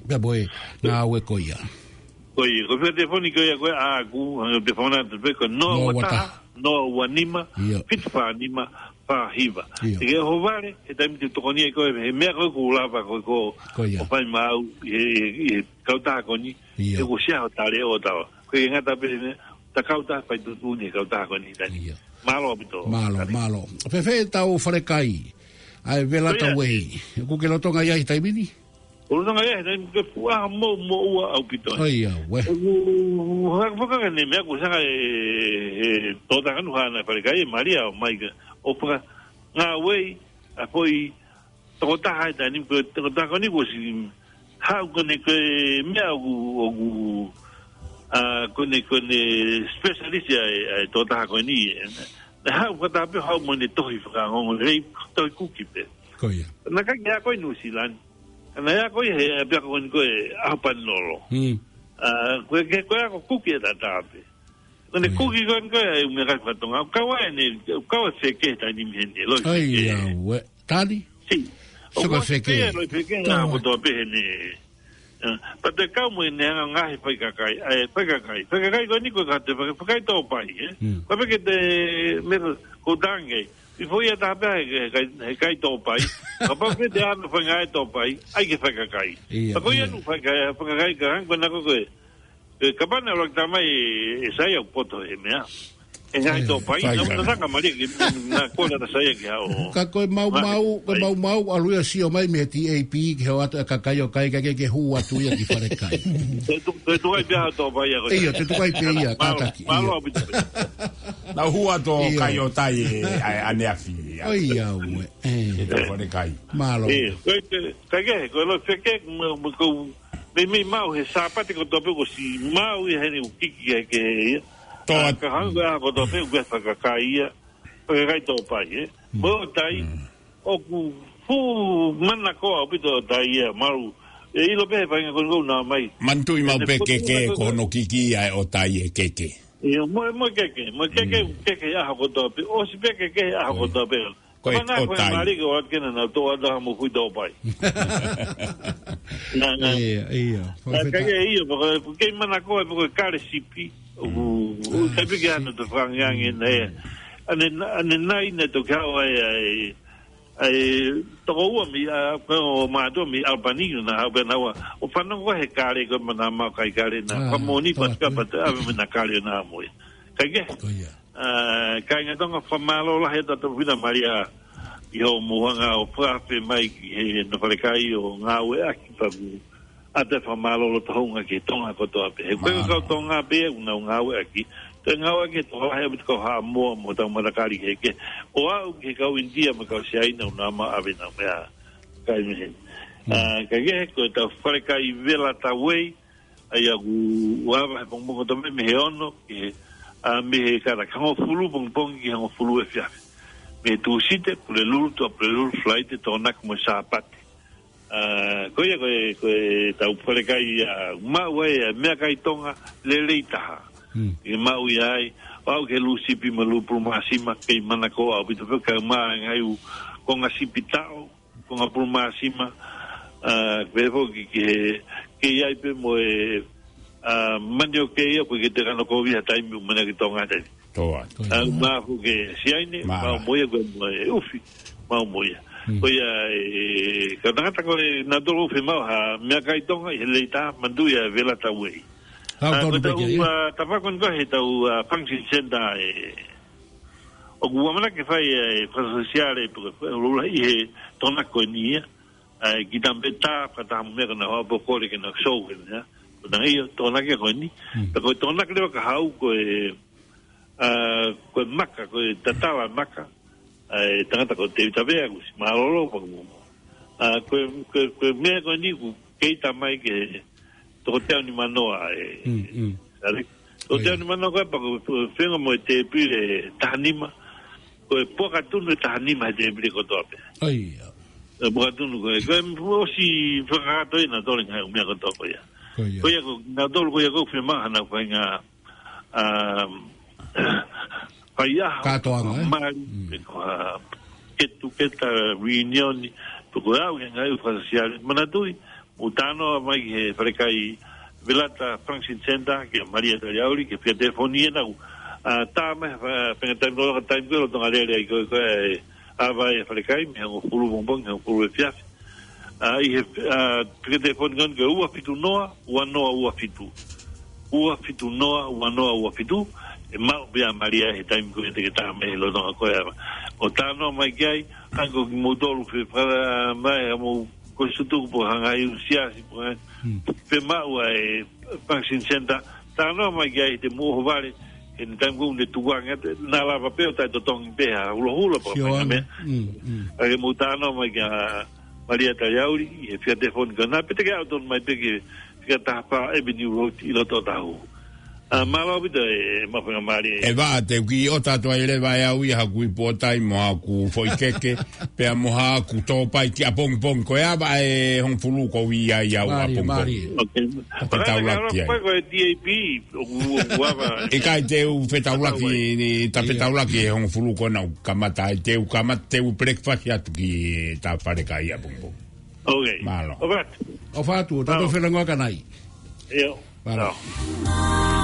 pea mo e ngāue ko ia. Ko ia, ko e fika telefoni ko ia ko ē ʻaʻaku, hangē ko e telefoni atu pē ko e noa ua taha, Noa ua taha. noa ua nima, Ia. fitu fā nima, fā hiva. Ia. Te ke ʻohovale, he taimi te u tokoni ai koe, he meʻa ko ē ʻoku lava ko ē ko Ko ia. ʻo fai maʻau, he, he, he kautaha ko eni. Ia. He kuo ʻosi ʻi ai hoʻo tali ʻo tau. Ko e ngata pē ʻene, ta kautaha fai tuʻutuʻuni he kautaha ko eni, Tani. Ia. Mālō ʻaupito, Mālō, Tani. Mālō. Fēfē ʻetau falekai ʻa e Velata Ko ia. Way? ʻOku ke lolotonga ʻi ai he taimi ni? ʻOku ou lolotonga ʻi ai he taimi ni, ko e fuʻu ʻaho mou, moʻua ʻaupito. ʻAi, ia, uē. ʻOku, ʻoku, ʻoku, ʻoku, ʻoku, ne mea ko saka e, e, tō taka nu hana falekai, ʻe Malia ʻo mai ke, ʻo faka, ngāue, ʻa foʻi, tokotaha ʻi he taimi ni, ko e tokotaha ko eni kuo ʻosi haʻu ko eni ko e meʻa ʻoku, ʻoku, ʻa, ko eni ko e specialist ʻa e, ʻa e tokotaha ko eni. Naʻe haʻu fakataha pē haʻu mo ʻene tohi fakaongoongo lelei, tohi kuki pē. Ko ia. Naʻe ʻikai ke ako ʻi Nuʻusila ni. Naʻe ako ʻi he, ʻapiako ko eni ko e ʻAhopanilolo. Mm. ʻA, ko e, ko e ako kuki ʻe taha pē. Ko ʻene Ko ia. kuki ko eni ko e ʻai meʻakai fakatonga. ʻOku kau ai ʻene, ʻoku kau ai e feke he taimi ni heni, loʻi ʻAi, feke. ia, uē. Tani? Si. Sio ʻOku ki he feke. feke, loʻi feke, Tau na ai. kotoa pē heni. ʻA, pea te kau mo ʻene anga ngaahi faikakai, ʻa e faikakai. Faikakai ko eni ko e ka te fai, faikai tōpai, ē? Mm. Ko e feke te me ko tange. ʻI foʻi ʻa taha pē he, he kai, he kai tōpai. Kapau pē te ano fai ngaahi tōpai, ʻai ke faikakai. Ia, Ka ko ia ia. nu faikai, faikakai ka hang ko nako ko e. E, kapau naʻe ʻuluaki tala mai ʻe, ʻe Saia ʻoku poto he meʻa. ʻE ngaahi Ia, tōpai, fai na ka. uta taka mali ki, na kole ata Saia ki hao. Ka ko e mau Ma, mau, ko e ai. mau mau, ʻalu ia sio mai mei he T A P, ke hao atu e kakai ʻo kai, ka ke, ke hū atu ia ki falekai. Te tu, te tu ai pia tōpai ia ko Ia, te tu ai pē ia, Mālō, kātaki, mālō ia. ʻaupito. Naʻa hū atu ʻo Ia. kai ʻo tai e, ʻa, ʻaneafi, ia. ʻAi, ia, uē. E. E te falekai. Mālō. E, ko e te, ka ke, ko e loʻi feke, mo, mo ko, Meimei maʻu he Sāpate kotoa pē kuo ʻosi maʻu ia heni ʻoku kiki ke, ke ia. Toa. ʻA, ka hanga ko e ʻaho kotoa pē ʻoku ke fakakai ia. Fakakai tōpai, ē. Mm. Mo ʻotai, Mm. ʻoku fuʻu manakoa ʻaupito ʻotai ia, malu. ʻE ʻilo pē he faʻahinga ko eni ʻoku nau mai. Manatuʻi maʻu ʻEne pē potu keke, ko ko hono kiki ia ʻe ʻotai e keke. Ia, mo, mo keke, mo keke, Mm. keke ʻaho kotoa pē. ʻOsi pē keke ʻaho Ko ia. kotoa pē. Ko e Kapau naʻe ko e ʻotai. mali ke ʻoatu ke na nau tō ʻata mo kui tōpai. Nā, nā. Ia, ia. Nā, Fakafetaʻi. ka ia ia, poko, poko kei manakoa, poko kale sipi. ʻOku, Mm. ʻoku Ah, kai piki sipi. ana te whangiangi na ia. Mm. ʻAne, ʻane nai na to kia o ai, ai, ai, toko ua mi, a, ko mātou mi Albany na, au pē na ua. ʻO fanongo he kale ko mana mau kai kale na. Ah, Kamoni tō atu. paska pata, ave me na kale na mo ia. Kai ke? Ko ia. ʻA, kāinga Tonga, fakamālō lahi atu ʻa Tupuna Malia ʻi hoʻo mou hanga ʻo fakaafe mai ki he nofo falekai ʻo ngāueʻaki pea ʻoku ʻoatu e fakamālō loto houngaʻia ki Tonga kotoa pē. He ko e Mālō. kau Tonga pē ʻoku nau ngāueʻaki. Toe ngāueʻaki he tokolahi ʻaupito kau Haʻamoa mo tau matakali kehekehe. ʻO aʻu ki he kau ʻInitia mo e kau Siaina ʻoku nau maʻu ʻave ʻenau meʻakai mei heni. Mm. ʻA, ka ke he ko e tau falekai Velata Way, ʻa ia ʻoku ava he pongipongi kotoa pē mei he ono, ki he, ʻa, mei he kātaki hongofulu pongipongi ki he hongofulu efiafi. Mei he Tūsite, Pulelulu, Tuʻapulelulu, Falaite, Tokonaki mo e Sāpate. ʻA, ko ia ko e, ko e tau falekai ia, maʻu ai, ʻa, meʻakai Tonga, lelei taha. Hmm. ʻE maʻu ia ai, ʻo aʻu ki he lū sipi mo e lū pulu māsima, kei manakoa ʻaupito pē, kae ʻumaʻā e ngaahi ʻū konga sipi taʻo, konga pulu māsima, ʻa, pehē foki ki he, kei ai pē mo e, ʻa, mani ʻo kei ia, ko e ke te kano kovi ha taimi, ʻo mani ki Tonga taimi. Toa. ʻA, mafu ke Siaina, Mara. mau mo ia, ko e mo e ʻufi, mau mo ia. Hmm. Ko ia, e, ka tangata ko e na tolo ʻufi mau ha, meʻakai Tonga, ʻi he lelei taha, manatuʻi ʻa e Velata Way. Kau ʻA, tonu ko pē tau, ke ia. ʻa, tapa ko eni ko he tau, ʻa, function center, e, ʻoku ʻamanaki ke fai e fakasōsiale pe ko e lula ʻi he Tokonaki ko eni ia. ʻA, ki tampe tā, fakataha mo e meʻa ko ena hoa pokole ke na show eni ia. Ko ena ia, Tokonaki ko eni. Hmm. Pea ko e Tokonaki leva ka haʻu ko e, ʻa, ko e maka, ko e tatala maka. ʻA, e tangata ko Tēvita Vea, kuo ʻosi mālōlō, pea ko, ʻa, ko e, ko e, ko e meʻa ko eni ʻoku kei tā mai ke toko teau nimanoa, e. Mm, mm. Are, toko teau nimanoa ko e pea ko e fenga mo e tēpile taha nima, ko e puaka tunu ʻe taha nima he tēpile kotoa pē. ʻAi, ia. E puaka tunu ko e, ko e ʻosi fakakakato ʻi he na tole ngaahi ʻū meʻa kotoa ko ia. Ko ia. Ko ia ko, na tole ko ia ko fema hana ko e ngaahi um, fai ʻaho, Kātoanga, ē? mali, Mm. pe ko ha get together reunion, pe ko e ʻaho ke ngaahi ʻū fakasōsiale. Manatuʻi, mou talanoa mai ki he falekai Velata Function Center, kia Malia Taliauli, ke fia telefoni ʻenau. ʻA, tā mai, fa-, fenga taimi loloka taimi ko e lolotonga lele ai ko e, ko e, ʻa, vai e falekai, mei he hongofulu pongipongi, hongofulu efiafi. ʻA, ʻi he, ʻa, peke telefoni ko eni ko e ua fitu noa, ua noa ua fitu. Ua fitu noa, ua noa ua fitu, ʻe maʻu pē ʻa Malia he taimi ko ē te ke tā mai he lolotonga ko ē. ʻO talanoa mai ki ai, hangē ko kimoutolu fē, fala mai ha mou ko sutuku po hanga i usiasi po hanga. Hmm. Fē maʻu ʻa e vaccine center, talanoa mai ki ai te mou ʻohovale, he taimi ko ē ne tukuange, naʻa lava pē ʻo taʻetotongi pē ha hulohula po Sio hanga ʻana. Meʻa. Hmm, hmm. ʻA ke mou talanoa mai kia Malia Taliauli, he fika telefoni ko ena, pe te ke ʻalu tonu mai pē ki he fika taha fā Avenue Road ʻi loto Otahuhu. ʻA, mālō ʻaupito e, e mafangamālie. ʻE vā, te u kiʻi ʻota atu ai leva ʻe au ia haku ipu ʻotai mo haku foʻi keke, pea mo haku tōpai ki ʻapongipongi. Ko e ava ʻe hongofulu ko ia ʻi au Mālie, ʻapongipongi. Mālie. Ok. Tape taulaki ai. Ko e D A P, ʻoku, ʻoku ava. ʻIkai te u fetaulaki, ni, tape taulaki ʻe hongofulu ko ena ʻoku kamata ai, te u kamata, te u breakfast atu ki tā fale kai ʻapongipongi. Ok. Mālō. ʻOfa atu. ʻOfa atu, tato Mālō. Felangoa kanai. ʻIo. Mālō. Mālō.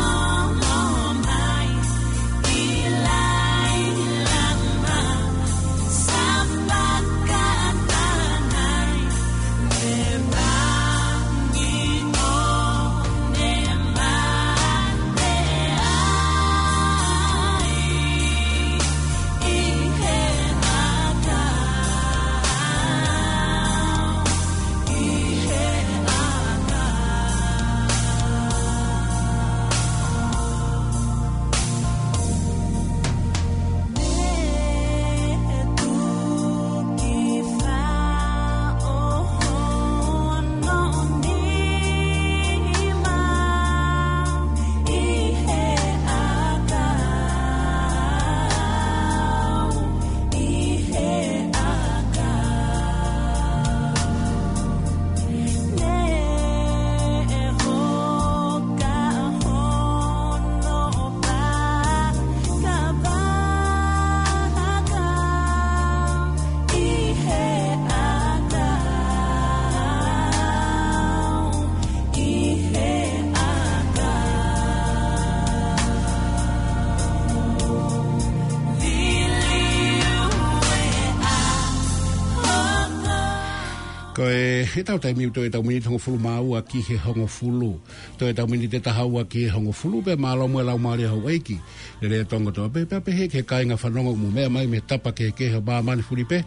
Ko e, he tau taimi ʻoku toe tau miniti hongofulu mā ua ki he hongofulu. Toe tau miniti ʻe taha ua ki he hongofulu pea mālō mo e laumālie houʻeiki. Lele tongo toa pē, pea pehē ki he kāinga fanongo ʻoku mou meʻa mai mei he tapa kehekehe ʻo māmani fuli pē.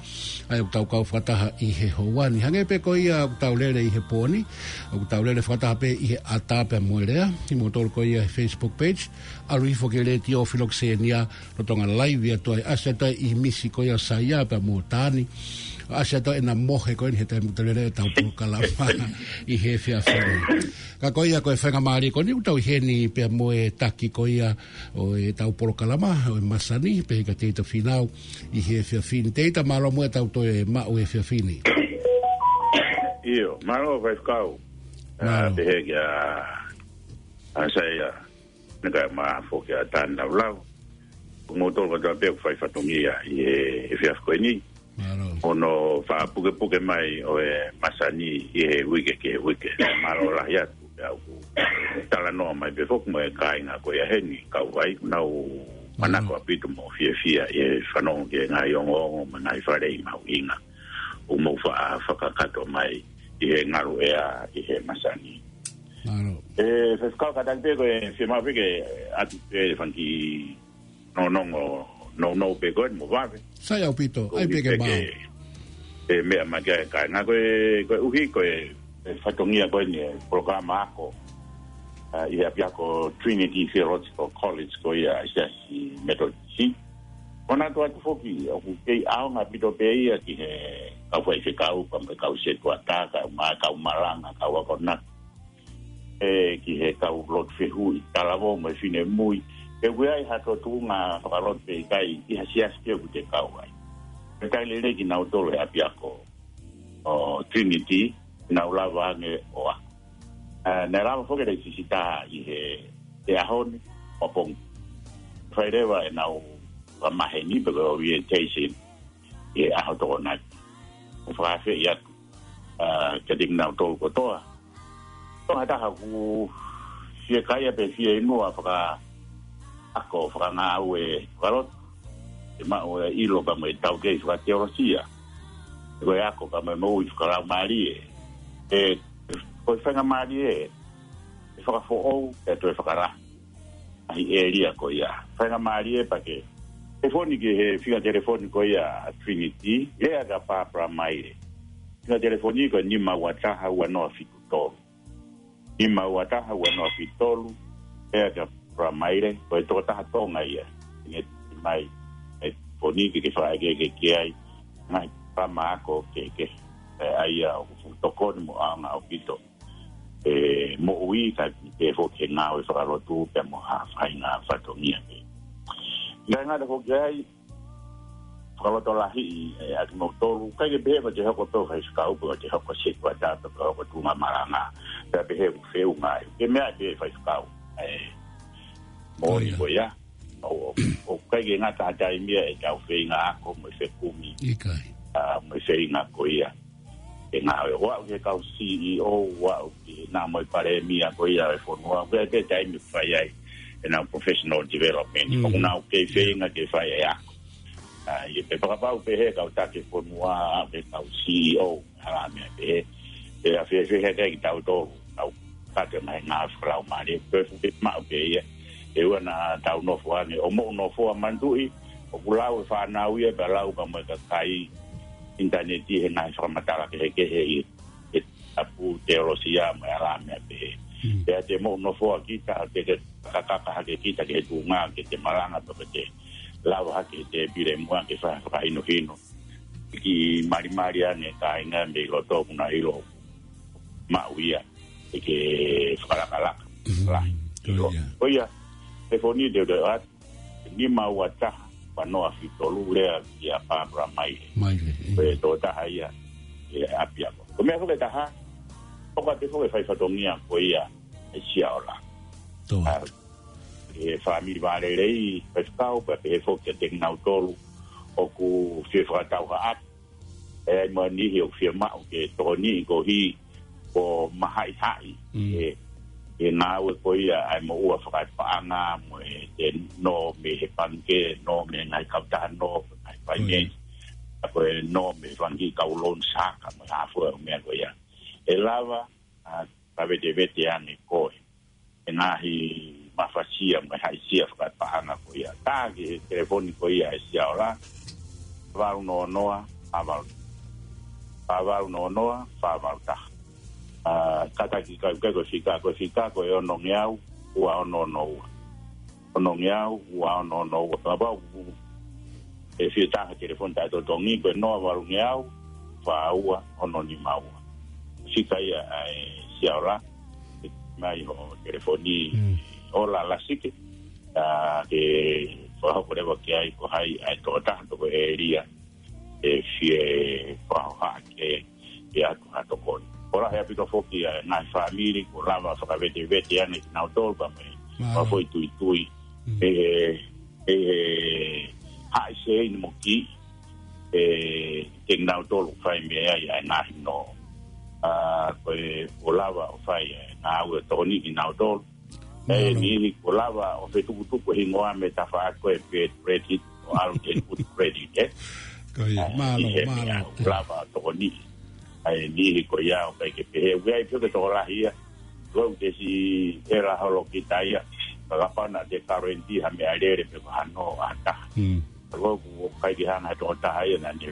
ʻA ia ʻoku tau kau fakataha ʻi he houa ni. Hangē pē ko ia ʻoku tau lele ʻi he pō ni. ʻOku tau lele fakataha pē ʻi he ʻatā pea mo e lea. ʻI moutolu ko ia he Facebook page. ʻAlu hifo ki he letiō Filokisenia. Lolotonga live atu ai, ʻasi atu ai ʻi he misi ko ia ʻo Saia pea mo Tani. ʻAsi atu ai ʻena mohe ko eni he taimi ʻoku tau lele ʻetau polokalama ʻi he efiafi ni. Ka ko ia ko e faingamālie ko eni ʻoku tau ʻi heni pea mo e taki ko ia ʻo ʻetau polokalama ʻo e masani, pehē kia Teita Finau ʻi he efiafi ni. Teita, mālō muʻa ʻetau toe maʻu he efiafi ni. ʻIo, mālō Faifekau. Mālō. ʻA, pehē kia ʻAsaia. Naʻe ʻikai ma foki ʻa Tani Laulau. Ko moutolu kotoa pē ʻoku fai fatongia ʻi he, he efiafi ko eni. Mālō. Hono fakapukepuke mai ʻo e masani ʻi he uike ki he uike. Mālō lahi atu pea ʻoku talanoa mai pē foki mo e kāinga ko ia heni, kau ai, ʻoku nau manako ʻaupito mo fiefia ʻi he fanongo ki he ngaahi ongoongo mo e ngaahi faleʻi mahuʻinga ʻoku mou faʻa fakakakato mai ʻi he ngalu ʻea ʻi he masani. Mālō. ʻE, Faifekau, kātaki pē ko e fiemaʻu pē ke ʻatu pē fanga kiʻi nonongo nounou pē ko eni mo vave. Sai ʻaupito, ʻai pē ke maʻu. ʻE, meʻa mai ki ai kāinga ko e, koeʻuhi ko e, e fatongia ko eni e polokalama ako, ʻa, ʻi he ʻapiako Trinity Theological College ko ia ʻi he Siasi Metotisi. Manatu atu foki, ʻoku kei ʻaonga ʻaupito pē ia ki he kau faifekau, pea mo e kau setuata, kau ma-, kau malanga, kau akonaki. ʻE, ki he kau lotu fehuʻi, talavou mo e finemui. Pe ʻoku ʻi ai ha tō tuʻunga fakalotu pe ʻikai ʻi ha siasi pē ʻoku te kau ai. Pea ʻikai lelei kinautolu he ʻapiako ʻo Trinity, nau lava ange ʻo ako. ʻA, naʻe lava foki ʻe he sisitā ʻi he, he ʻaho ni, ʻapongi. Fai leva ʻenau fakamaheni pe ko e orientation ʻi he ʻaho Tokonaki. ʻO fakaafeʻi atu, ʻa, kiate kinautolu kotoa. Tonga taha ʻoku fiekaia pe fieinua fakaako, fakangāue fakalotu. ʻE maʻu e ʻilo pea mo e taukei fakateolosia. ko e ako ka mo e moʻui fakalaumālie. ʻE, ko e faingamālie ʻe fakafoʻou ʻe toe fakalahi ʻa e ʻēlia ko ia. Faingamālie pea ke telefoni ki he fika telefoni ko ia ʻa Trinity, lea kia Barbara Maile. Fika telefoni ko e nima ua taha ua noa fitu tolu. Nima ua taha ua noa fitu tolu, lea kia Barbara Maile, ko e tokotaha Tonga ia. ʻIkai ke mai, ʻe telefoni ke ke fakaʻekeʻeke ki ai, ngaahi pama ako ke, ke, ʻe, ʻa ia ʻoku fuʻu tokoni mo ʻaonga ʻaupito ʻi he moʻui kae pehē foki ki he ngāue fakalotu pea mo ha faʻahinga fatongia pē. ʻIkai ngata foki ai, fakalotolahiʻi ʻe ʻa kimoutolu, ʻikai ke pehē ko ʻete hoko pē ʻo faifekau pe ko ʻete hoko setuata pe ko ʻete hoko tuʻunga malanga, pea pehē ʻoku feʻunga ai. Ke meʻa pē faifekau. ʻE, moʻoni ko ia. ʻO, ʻo, ʻo ʻikai ke ngata ha taimi ia ʻetau feinga ako mo e fekumi. ʻIkai. ʻA, mo e feinga ko ia. ʻE ngāue ʻo aʻu ki he kau C E O, ʻo aʻu ki he nā mo e palēmia ko ia e fonua. ʻOku ʻi ai pē taimi ʻoku fai ai ʻenau professional development. Mm. ʻOku nau kei feinga ke fai e ako. ʻA, ʻi he pē fakapapau pē he kau taki fonua, pē kau C E O, hala meʻa pē he. Pea fēfē he kitautolu, kau kate mai ngā fakalaumālie, pē fuke maʻu pē ia. ʻE ua naʻa tau nofo ange, ʻo moʻu nofo ʻa manatuʻi, ʻoku lau e fānau ia, pea lau ka mo e kakai, ʻinitaneti he ngaahi fakamatala kehekehe ʻi he tapu teolosia mo e hala meʻa pē he. Mm. Pea te moʻu nofo ʻa kita, te ke kakaka hake kita ki he tuʻunga, ke te malanga, pea ke te lava hake he tēpile muʻa ke fai fakahinohino. Ki malimali ange kāinga mei loto ʻoku na ʻilo maʻu ia, ʻe ke fakalakalaka. Mm, lahi. Ko ia. Ko ia, telefoni te u ʻoatu, nima ua taha, ua noa fitu tolu, lea kia Barbara Maile. Maile, ʻio. Ko e tokotaha ia, ʻi ʻapiako. Ko e meʻa foki ʻe taha, ʻoku ʻiate foki e fai fatongia ko ia ʻa e Siaola. Tō. ʻA, ʻe fāmili vālelei, faifekau, pea pehē foki kiate kinautolu ʻoku fie fakatau ha ʻapi. ʻE ʻi ai mo e niʻihi ʻoku fiemaʻu ke tokoniʻi koeʻuhi ko e mahaʻihaʻi. Mm. ʻE, ʻe ngāue ko ia ʻa e moʻua fakapaʻanga mo e te nō mei he pangikē, nō mei he ngaahi kautaha nō, ngaahi finance. Mm. ʻA ko e nō mei he fanga kiʻi kau loan shark mo e hā fua e meʻa ko ia. ʻE lava, ʻa, ka vetevete ange koe ʻe ngaahi mafasia mo e haʻisia fakapaʻanga ko ia. Tā ki he telefoni ko ia ʻa e Siaola, fā valu noa noa, fā valu, fā valu noa noa, fā valu taha. ʻA, kātaki kau ke ko e fika, ko e fika, ko e onongeau, ua ono ono ua. Onongeau, ua ono ono ua. Kapau ʻe fie tā ha telefoni taʻetotongi, ko e noa valu ngeau, fā ua, ono nima ua. Fika ia ʻa e Siaola, mai ho telefoni, mm, ʻo la lasike, ʻa, ke fakahoko leva ki ai ko hai ʻa e tokotaha pe ko e ʻēlia ʻe fie fakahohaʻa ke, ke ʻoatu ha tokoni. Ko e lahi ʻaupito foki ʻa e ngaahi fāmili, ʻoku lava fakavetevete ange kinautolu, pea mo e, mālō, fakafoʻituitui. Mm. ʻE, ʻe, ʻe, haʻi seini mo kiʻi, ʻe, te kinautolu fai mei ai ʻa e ngaahi nō. ʻA, ko e, ʻoku lava ʻo fai e ngāue tokoni kinautolu. ʻE, mālō, niʻihi ʻoku lava ʻo fetukutuku e hingoa mei he tafaʻaki ko e bad credit, ʻo ʻalu ke good credit, ē? Ko ia, ʻa, mālō, ʻi he mālō. Meʻa ʻoku lava ʻo tokoniʻi. ʻA e niʻihi ko ia ʻoku ʻikai ke pehē, ʻoku ʻi ai pē ke tokolahi ia. Ko e ʻū tesi ʻe la holo kita ia. Ka kapau naʻa te guarantee ha meʻalele pe ko ha nō ʻa ha taha. Mm. Ko e ʻū ʻoku ʻikai ke hanga he tokotaha ia naʻa ne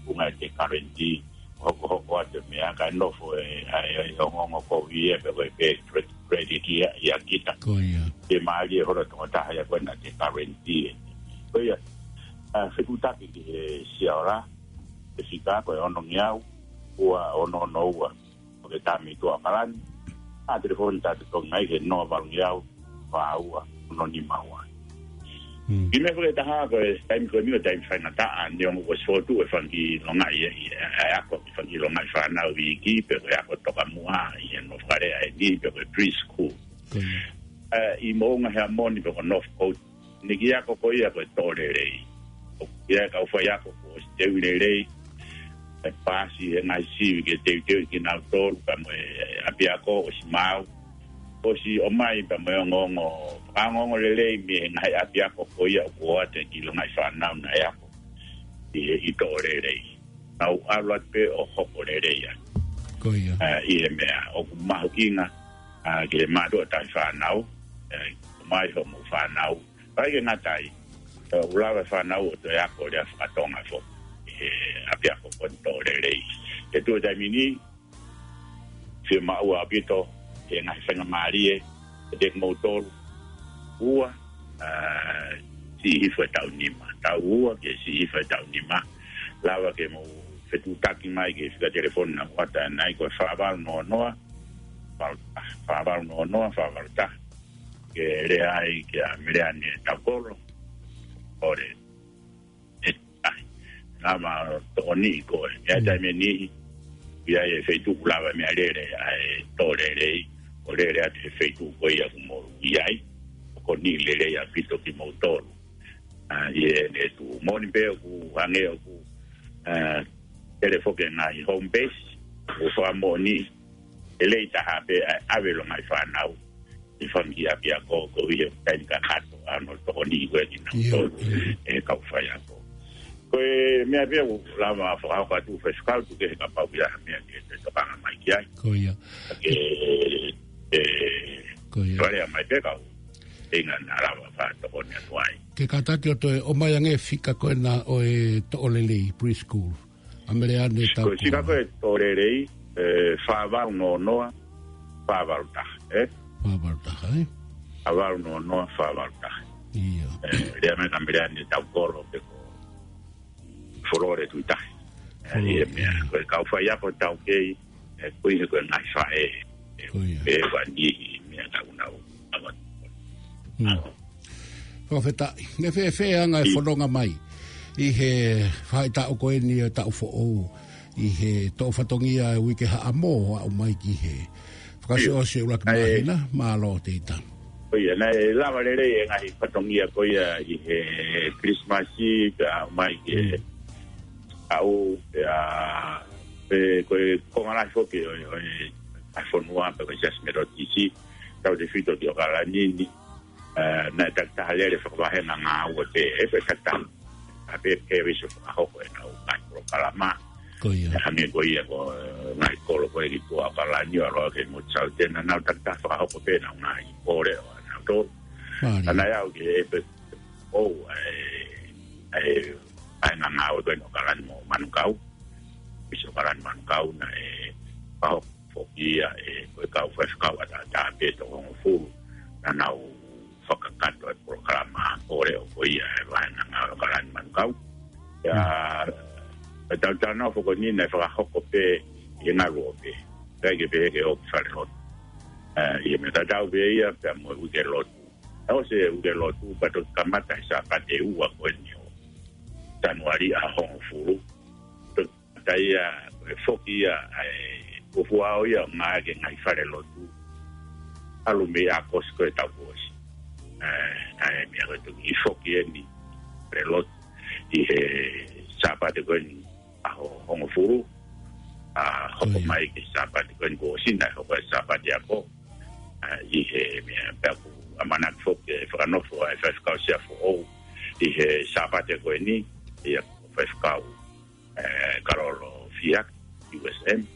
unga te guarantee. Hokohoko atu e meʻa kae nofo e, ʻa e, ʻa e ongoongo ko ia pe ko e bad credit ia, ia kita. Ko ia. Te mālie holo tokotaha ia ko ē naʻa te guarantee. Ko ia, ʻa, fekutaki ki he Siaola, ʻe fika ko e onongeau, ua ono ono ua. ʻOku ke tā mei tuʻa ʻAokalani. ʻA, telefoni taʻetotongi ai ki he noa valu ngeau, fā ua, ono nima ua. Mm. ʻI he meʻa foki ʻe taha ko e taimi ko eni ko e taimi faingataʻa, neongo kuo ʻosi fotu e fanga kiʻi longaʻi ʻi, ʻi, ʻa e ako ki he fanga kiʻi longaʻi fānau iiki, pe ko e ako tokamuʻa, ʻi he nofo fakalea ʻeni, pe ko e preschool. Ko ia. ʻA, ʻi Moʻunga Heamoni pe ko Northcote, ʻene kiʻi ako ko ia ko e toʻo lelei. ʻOku ʻi ai e kau faiako kuo ʻosi teuʻi lelei, ʻe paasi he ngaahi sivi ke teuteuʻi kinautolu, pea mo e ʻapiako ʻosi maau. ʻOsi ʻomai pea mo e ongoongo, fakaongoongo lelei mei he ngaahi ʻapiako ko ia ʻoku ʻoatu e kiʻi longaʻi fānau naʻe ako ʻi, ʻi toʻo lelei. nau ʻalu atu pē ʻo hoko lelei ai. Ko ia. ʻA, ʻi he meʻa ʻoku mahuʻinga, ʻa, ki he mātuʻa taʻefānau, ʻa, mai hoʻomou fānau. Pea ʻikai ke ngata ai, ʻoku lava e fānau ʻo toe ako lea fakatonga foki ʻi he ʻapiako ko eni, toʻo lelei. He tuʻu taimi ni, fiemaʻu ʻaupito e ngaahi faingamālie kiate kimoutolu. Ua, ʻa, siʻi hifo e taʻu nima. Taʻu ua ki he siʻi hifo e taʻu nima. Lava ke mou fetuʻutaki mai ki he fika telefoni naʻa ku ʻoatu ʻanenai, ko e fā valu noa noa, fā valu taha, fā valu noa noa, fā valu taha. Ke lea ai kia Meleane Taukolo. ʻOku lava ʻe taha. Lava tokoniʻi koe. ʻI he taimi ʻe niʻihi, ʻi ai e feituʻu ʻoku lava e meʻalele ʻa e toʻo lelei, ʻo lele atu he feituʻu ko ia ʻoku mou ʻi ai. Tokoniʻi lelei ʻaupito kimoutolu. ʻA, ʻi heʻene tuʻu. Moʻoni pē ʻoku hangē ʻoku, ʻa, ʻi ai foki e ngaahi home base, ʻoku fakamoʻoni lelei taha pē ʻa e ʻave ʻo e ngaahi fānau ʻi he fanga kiʻi ʻapiako, koeʻuhi he taimi kakato ʻa hono tokoniʻi ko ē kinautolu ʻe he kau faiako. Ko e meʻa pē ʻoku lava fakahoko atu, Faifekau, tuku kehe kapau ʻoku ʻi ai ha meʻa ke te tokanga mai ki ai. Ko ia. Ke, ʻe, Ko ia. Fale mai pē kau ʻuhinga naʻa lava fakatokoni atu ai. Ke kātaki ʻo toe ʻomai ange e fika ko ena ʻo e toʻo lelei, preschool. ʻA Meleane Taukolo. Ko e fika ko ē toʻo lelei, ʻe, fā valu noa noa, fā valu taha, ē? Fā valu taha, ē? Fā valu noa noa, fā valu taha. Ia. ʻE, lea mai kia Meleane Taukolo pe ko Folore Tuʻitahi. ʻE, Folore, ʻi he meʻa, ia. Ko e kau faiako taukei, ʻe, koeʻuhi ko e ngaahi faʻē, ʻe, Ko ia. ʻE, ʻoku ʻi ai e niʻihi meʻa naʻa nau ʻave. Mm. Fakafetaʻi. Naʻe fēfē ʻa e anga e fononga mai ʻi he faʻahitaʻu ko eni ʻo e taʻu foʻou, ʻi he toʻo fatongia e uike Haʻamo ʻo aʻu mai ki he fakaʻosiʻosi ʻuluaki māhina, mālō Teita. Ko ia, naʻe lava lelei e ngaahi fatongia ko ia ʻi he Kilisimasi, pea aʻu mai ki he, mm, ʻaho, pea, pe ko e konga lahi foki ʻo, ʻo e, ʻa e fonua, pe ko e Siasi Metotisi, tautefito ki ʻAokalani ni, ʻa, naʻe takitaha lele fakavahenga ngāue pē, ʻe, pe takitaha, ʻa, pē, pē visi fakahoko ʻenau ngaahi polokalama. Ko ia. ʻE, hangē ko ia ko, ʻe, ngaahi kolo ko ē ki tuʻa ʻAokalani ʻo aʻu ki Motu Saute, naʻa nau takitaha fakahoko pē ʻenau ngaahi pole ʻo nautolu. Mālie. ʻA, naʻe aʻu ki he, pe, ʻo, ʻe, ʻe, ʻa e ngaahi ngāue ko ē ʻo ʻAokalani mo Manukau. Visi ʻo ʻAokalani Manukau naʻe fakahoko foki ia ʻe, ko e kau faifekau ʻataʻatā pē toko hongofulu naʻa nau fakakakato e polokalama pole ʻo ko ia ʻe vahenga ʻo ʻAokalani Manukau. Ia, mm, ʻe tautau nau foki ni naʻe fakahoko pē ʻi he ngaluope. ʻIkai ke pehē ke ʻosi e falelotu. ʻE, ʻi he meʻa tatau pē ia pea mo e uike lotu. ʻOsi e uike lotu, pea toki kamata he Sāpate ʻe ua ko eni ʻo Sānuali ʻaho hongofulu. Toki kamata ia, ʻe foki ia, ʻa e, ʻo fuʻu ʻaho ia ʻo ngāueʻaki e ngaahi falelotu. ʻAlu mei ʻAokosi ko ē taʻu kuo ʻosi. ʻE, ʻa e meʻa ko ē toki foki eni falelotu ʻi he Sāpate ko eni ʻaho hongofulu, ʻa, hoko, mm, mai ki he Sāpate ko eni kuo ʻosi, naʻe hoko e Sāpate Ako. ʻA, ʻi he meʻa pea ʻoku ʻamanaki foki ke fakanofo ʻa e faifekau sea foʻou ʻi he Sāpate ko eni, ʻa ia ko e faifekau, ʻe, Kalolo Fiak, U S M,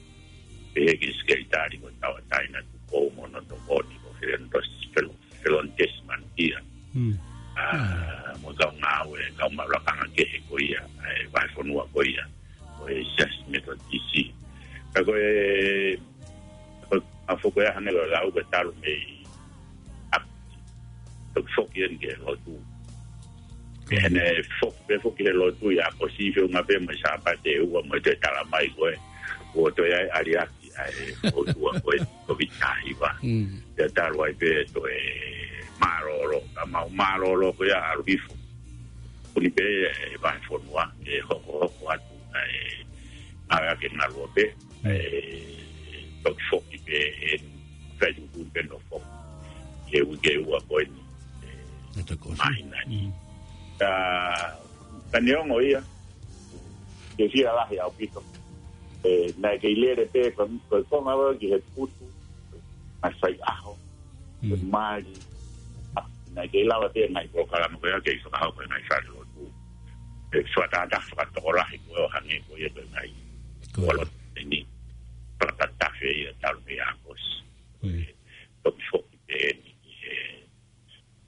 pehē ki he sekelitali ko Tauʻatāina Tupou mo hono tokoni ko Felonitesi, Felon-, Felonitesi Manukia. Mm. ʻA, mo e kau ngāue, kau maʻu lakanga kehe ko ia, ʻa e vahefonua ko ia ʻo e Siasi Metotisi. Ka ko e, ko e, ʻa, foki ia hangē ko e lau ko e talu mei ʻAokosi, toki foki eni ki he lotu. Ko ia. Pea ne foki, pea foki he lotu ʻi ʻAokosi, feʻunga pē mo e Sāpate ʻe ua mo e toe tala mai ko ē, ʻoku toe ʻi ai e ʻaliaki ʻa e ʻOtua ko ē, Kōviti taha hiva. Mm. Pea talu ai pē toe mālōlō, ka mau mālōlō ko ia ʻalu hifo. Kuni pē e vahefonua ʻe hokohoko atu ʻa e ngāueʻaki e ngaluope, mm, ʻe toki foki pē ʻe fai tuʻutuʻuni pē ʻo foki he uike ʻe ua ko eni, ʻe, ʻe toki ʻosi, māhina ni. Mm. Ka, ka neongo ia, ke fia lahi ʻaupito. ʻE, naʻe kei lele pē ko, ko e konga ʻo e ki he putu, ngaahi faiʻaho, mm, mali. ʻA, naʻe kei lava pē ngaahi polokalama ko ia ke fakahoko e ngaahi falelotu. ʻE, fakatātā fakatokolahi ko ē ʻo hangē ko ia ko e ngaahi Kolo eni, fakatafe ia talu mei ʻAokosi. Toki foki pē eni ki he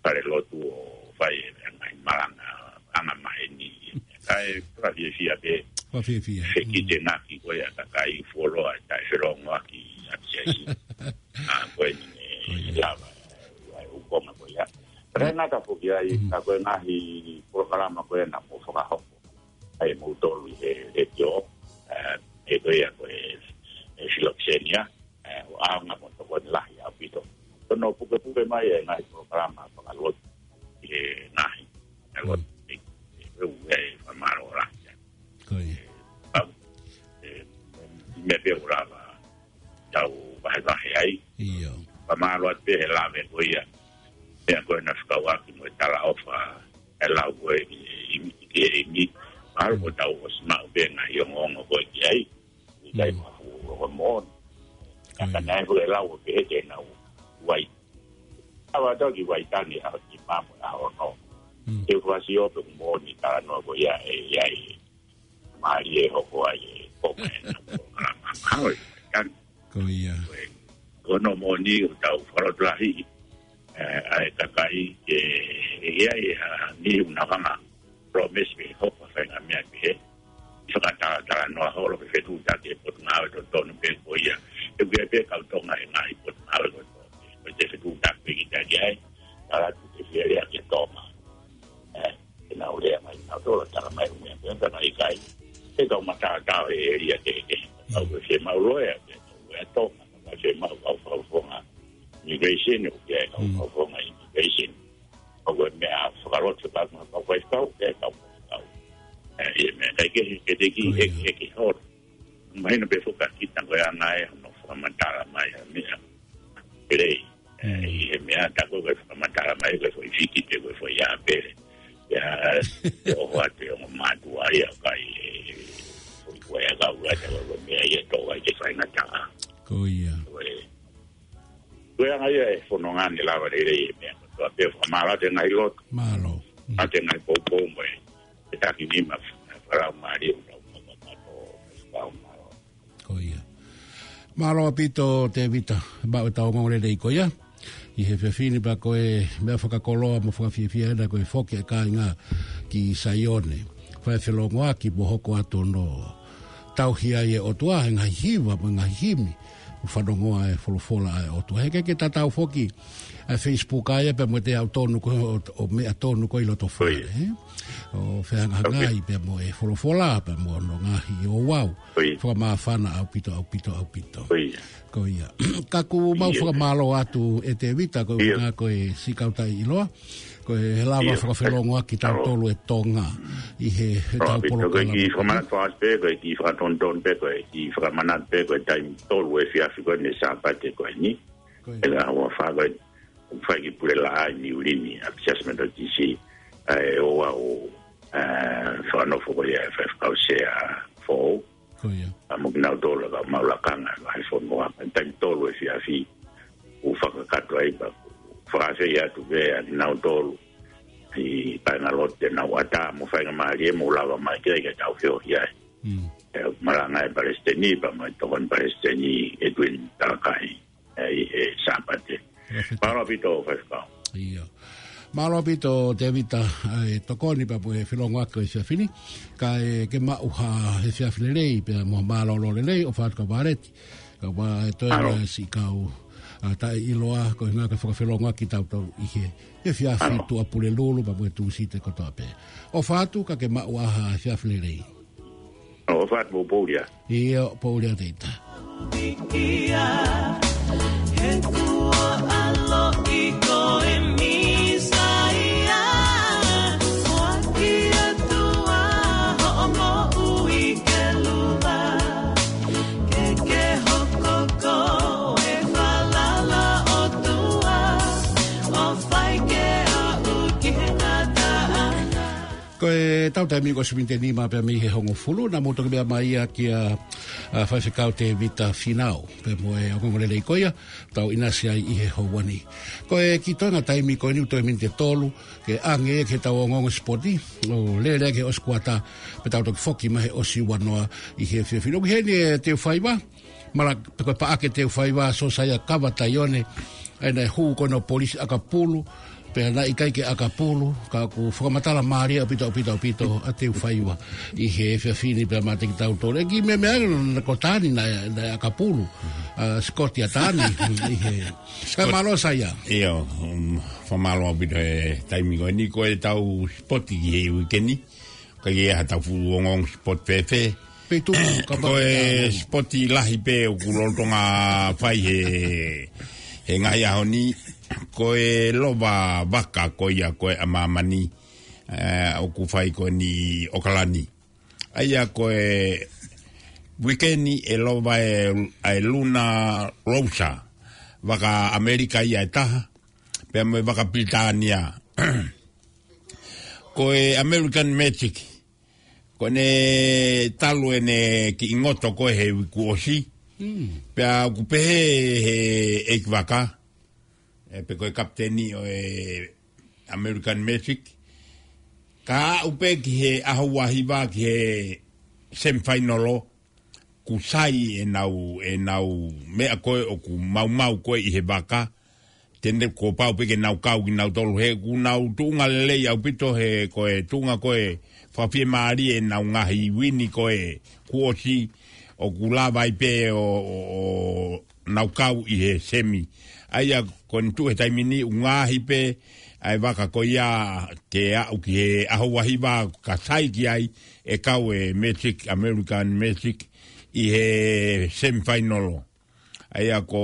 fale lotu ʻo fai e ngaahi malanga, anga maheni. Kae fakafiefia pē. Fakafiefia. Fekite ngaki ko ia kakai fuoloa, taʻe felongoaki ʻapiaisi. ʻA ko eni lava, ʻa e ukonga ko ia. Pea ngata foki ai, ka ko e ngaahi polokalama ko ia naʻa mou fakahoko ai moutolu ʻi he letiō, ʻe ko ia ko e, e Filokisenia, ʻo ʻaonga mo tokoni lahi ʻaupito. Ko hono pukepuke mai e ngaahi polokalama fakalotu ʻi he ngaahi, e lotu, e, e, e, e, fakamālō lahi. Ko ia. Pau, e, meʻa pē ʻoku lava tau vahevahe ai. ʻIo. Fakamālō atu pē he lave ko ia. Pea ko e naʻe fekauʻaki mo e talaʻofa e lau ko ē ki he ʻEiki, ki he ʻEiki. Mahalo ko tau ʻosi maʻu pē ngaahi ongoongo ko ē ki ai. ʻIkai mafu o ko moʻoni. Ka naʻe fu e lau ʻo pehē te nau uai. Awa tau ki Waitangi ʻaho nima mo e ʻaho ono. Te u fakasio pe moʻoni talanoa ko ia ʻe ʻi ai. Mālie hoko ai e konga ena polokalama. Mahalo ʻe Waitangi. Ko ia. Ko hono moʻoni ʻoku tau fakalotolahiʻi ʻa e kakai ke ʻi ai ha niʻihi ʻoku nau hanga promise pe hoko ha faʻahinga meʻa pehē. Fakatalatalanoa holo pe fetuʻutaki e potungāue totonu pē ko ia. ʻE ʻi ai pē kau Tonga he ngaahi potungāue ko ia. Ko e te fetuʻutaki pē kita ki ai. Tala atu te fie lea ki Tonga. ʻE, ʻe nau lea mai, nau tolo tala mai ʻo meʻa, pea tala ʻikai. ʻE kau mataotao he ʻēlia kehekehe. Kau ke fiemaʻu loea, ke kau ke Tonga, kau ke fiemaʻu kau fakafofonga immigration, ʻoku ke kau fakafofonga immigration. Kau ke meʻa fakalotu, kau ke kau faifekau, ke kau faifekau. ʻE, ʻi he meʻa, ʻikai ke, ke te ki, ʻe, ʻe ke holo. Mahino pē foki kita ko e anga e hono fakamatala mai ha meʻa. Pele. ʻE, ʻi he meʻa tā ko e fakamatala mai ko e foʻi fiki pe ko e foʻi ʻāpele. Ia, ʻe ʻoho atu e ongo mātuʻa ia kai e foʻi ko e ʻakau ʻata ko e meʻa ia tō ai ke faingataʻa. Ko ia. Ko e, ko e anga ia e fononga ne lava lelei e meʻa. Ko e pē fakamālō atu e ngaahi lotu. Mālō. ʻA e ngaahi poupou mo e. E taki nima, falau mālie ʻo tau mamato, falau mālō. Ko ia. Mālō ʻaupito Tēvita, maʻu e tau ongoongo lelei ko ia. ʻI he efiafi ni pea ko e meʻa fakakoloa mo fakafiefia ena ko e foki e kāinga ki Saione. Fai felongoaki mo hoko atu hono tauhi ai e ʻOtua, he ngaahi hiva mo e ngaahi himi. ʻO fanongoa e folofola ʻa e ʻOtua. He ke ke tatau foki ʻa e Facebook ʻa ia pea mo e te au tonu ko ē ʻo, ʻo meʻa tonu ko ē ʻi loto fale, ʻe? ʻO fehangahangai pea mo e folofola, pea mo hono ngaahi ouau. Fakamāfana ʻaupito, ʻaupito, ʻaupito. Ko ia. Ka ʻoku mau fakamālō atu ʻe Tēvita, ko e ʻuhinga ko e siʻi kau taʻeʻiloa. Ko e lava fakafelongoaki tautolu e Tonga. ʻI he, he tau polokalama. Ko e kiʻi fakamanatu atu pē, ko e kiʻi fakatonutonu pē, ko e kiʻi fakamanatu pē, ko e taimi tolu efiafi ko eni Sāpate ko eni. Ko ia. ʻE ngā ua fā ko e fai ki Pulelaʻā ʻi Niulini, ʻapiaisi Metotisi, ʻa e ouau, ʻa e fakanofo ko ia e faifekau sea foʻou. Ko ia. ʻA mo kinautolu ka mau lakanga, ʻa e fonua, taimi tolu efiafi, ʻo fakakakato ai pea, fakafeʻiloaki atu pē, ʻa kinautolu, ʻi kāinga lotu te nau ʻatā, mo faingamālie, mo lava mai ke, ke tau feohi ai. ʻE, malanga e palesiteni, pea mo e tokoni palesiteni, ʻEtuini Talakai. ʻI he Sāpate. Mālō ʻaupito, faifekau. ʻIo. Mālō ʻaupito, Tēvita, ʻa e tokoni pea mo e felongoaki ʻo e efiafi ni. Kae ke maʻu ha efiafi lelei, pea mo mālōlō lelei, ʻofa atu kau Vāleti. Kau ʻa e toe ʻa e siʻi kau, ʻa, taʻeʻiloa, ko e ʻuhinga ko e fakafelongoaki tautolu ʻi he efiafi Tuʻapulelulu, pea mo e Tūsite kotoa pē. ʻOfa atu ka ke maʻu ha efiafi lelei. ʻOfa atu mo poulia. ʻIo, poulia Tēvita. Ko e Tau taimi ko e miniti ʻe nima pē mei he hongofulu, naʻa mou toki meʻa mai ia kia, ʻa, Faifekau Tēvita Fīnau. Pea mo e ongoongolelei ko ia, tau ʻinasi ai ʻi he houa ni. Ko e kiʻi toenga taimi ko eni ʻoku toe miniti ʻe tolu, ke ʻange ki heʻetau ongoongo sipoti, ʻo lele ki he ʻosi kuata, pea tau toki foki mai he ʻosi ua noa ʻi he efiafi ni. ʻOku ʻi heni ʻa Teufaiva, Mala, pe ko e Paʻake Teufaiva, Sosaia Kava Taione, ʻa ia naʻe hū ko ena ʻo polisi ʻakapulu, pea naʻe ʻikai ke ʻakapulu, ka ʻoku fakamatala mālie ʻaupito, ʻaupito, ʻaupito, ʻa Teufaiva, ʻi he efiafi ni pea maʻa kitautolu. ʻE kiʻi meʻa meʻa ange naʻa ko Tani naʻe, naʻe ʻakapulu, ʻa, Sikoti ʻa Tani, ʻi he. Ka mālō Saia. ʻIo, um, fakamālō ʻaupito he taimi ko eni ko ʻetau sipoti ki he uike ni. Ka ʻi ai haʻatau fuʻu ongoongo sipoti fēfē. Peitu, ka Ko e sipoti lahi pē ʻoku lolotonga fai he, he ngaahi ʻaho ni. Ko e lova vaka ko ia ko e ʻa māmani. ʻE, ʻoku fai ko eni ʻi ʻOkalani. ʻA ia ko e uike ni ʻe lova e, ʻa e Luna Rosa. Vaka ʻAmelika ia ʻe taha. Pea mo e vaka Pilitānia. Ko e American Magic. Ko ʻene talu ʻene kiʻi ngoto ko ē he uike kuo ʻosi. Mm. Pea ʻoku pehē he ʻeikivaka, ʻe, pe ko e kapiteni ʻo e American Magic. Ka aʻu pē ki he ʻaho ua hiva ki he semifinal, kuo sai ʻenau, ʻenau meʻa ko ē ʻoku maumau ko ē ʻi he vaka, te ne kuo pau pē ke nau kau kinautolu he ʻoku nau tuʻunga lelei ʻaupito he ko e tuʻunga ko ē fakafiemālie ʻenau ngaahi uini ko ē kuo ʻosi ʻoku lava ai pē ʻo, ʻo, ʻo nau kau ʻi he semi. ʻA ia ko eni tuʻu he taimi ni ʻoku ngaohi pē ʻa e vaka ko ia ke aʻu ki he ʻaho ua hiva ka sai ki ai ʻe kau e Magic, American Magic ʻi he semifinal. ʻA ia ko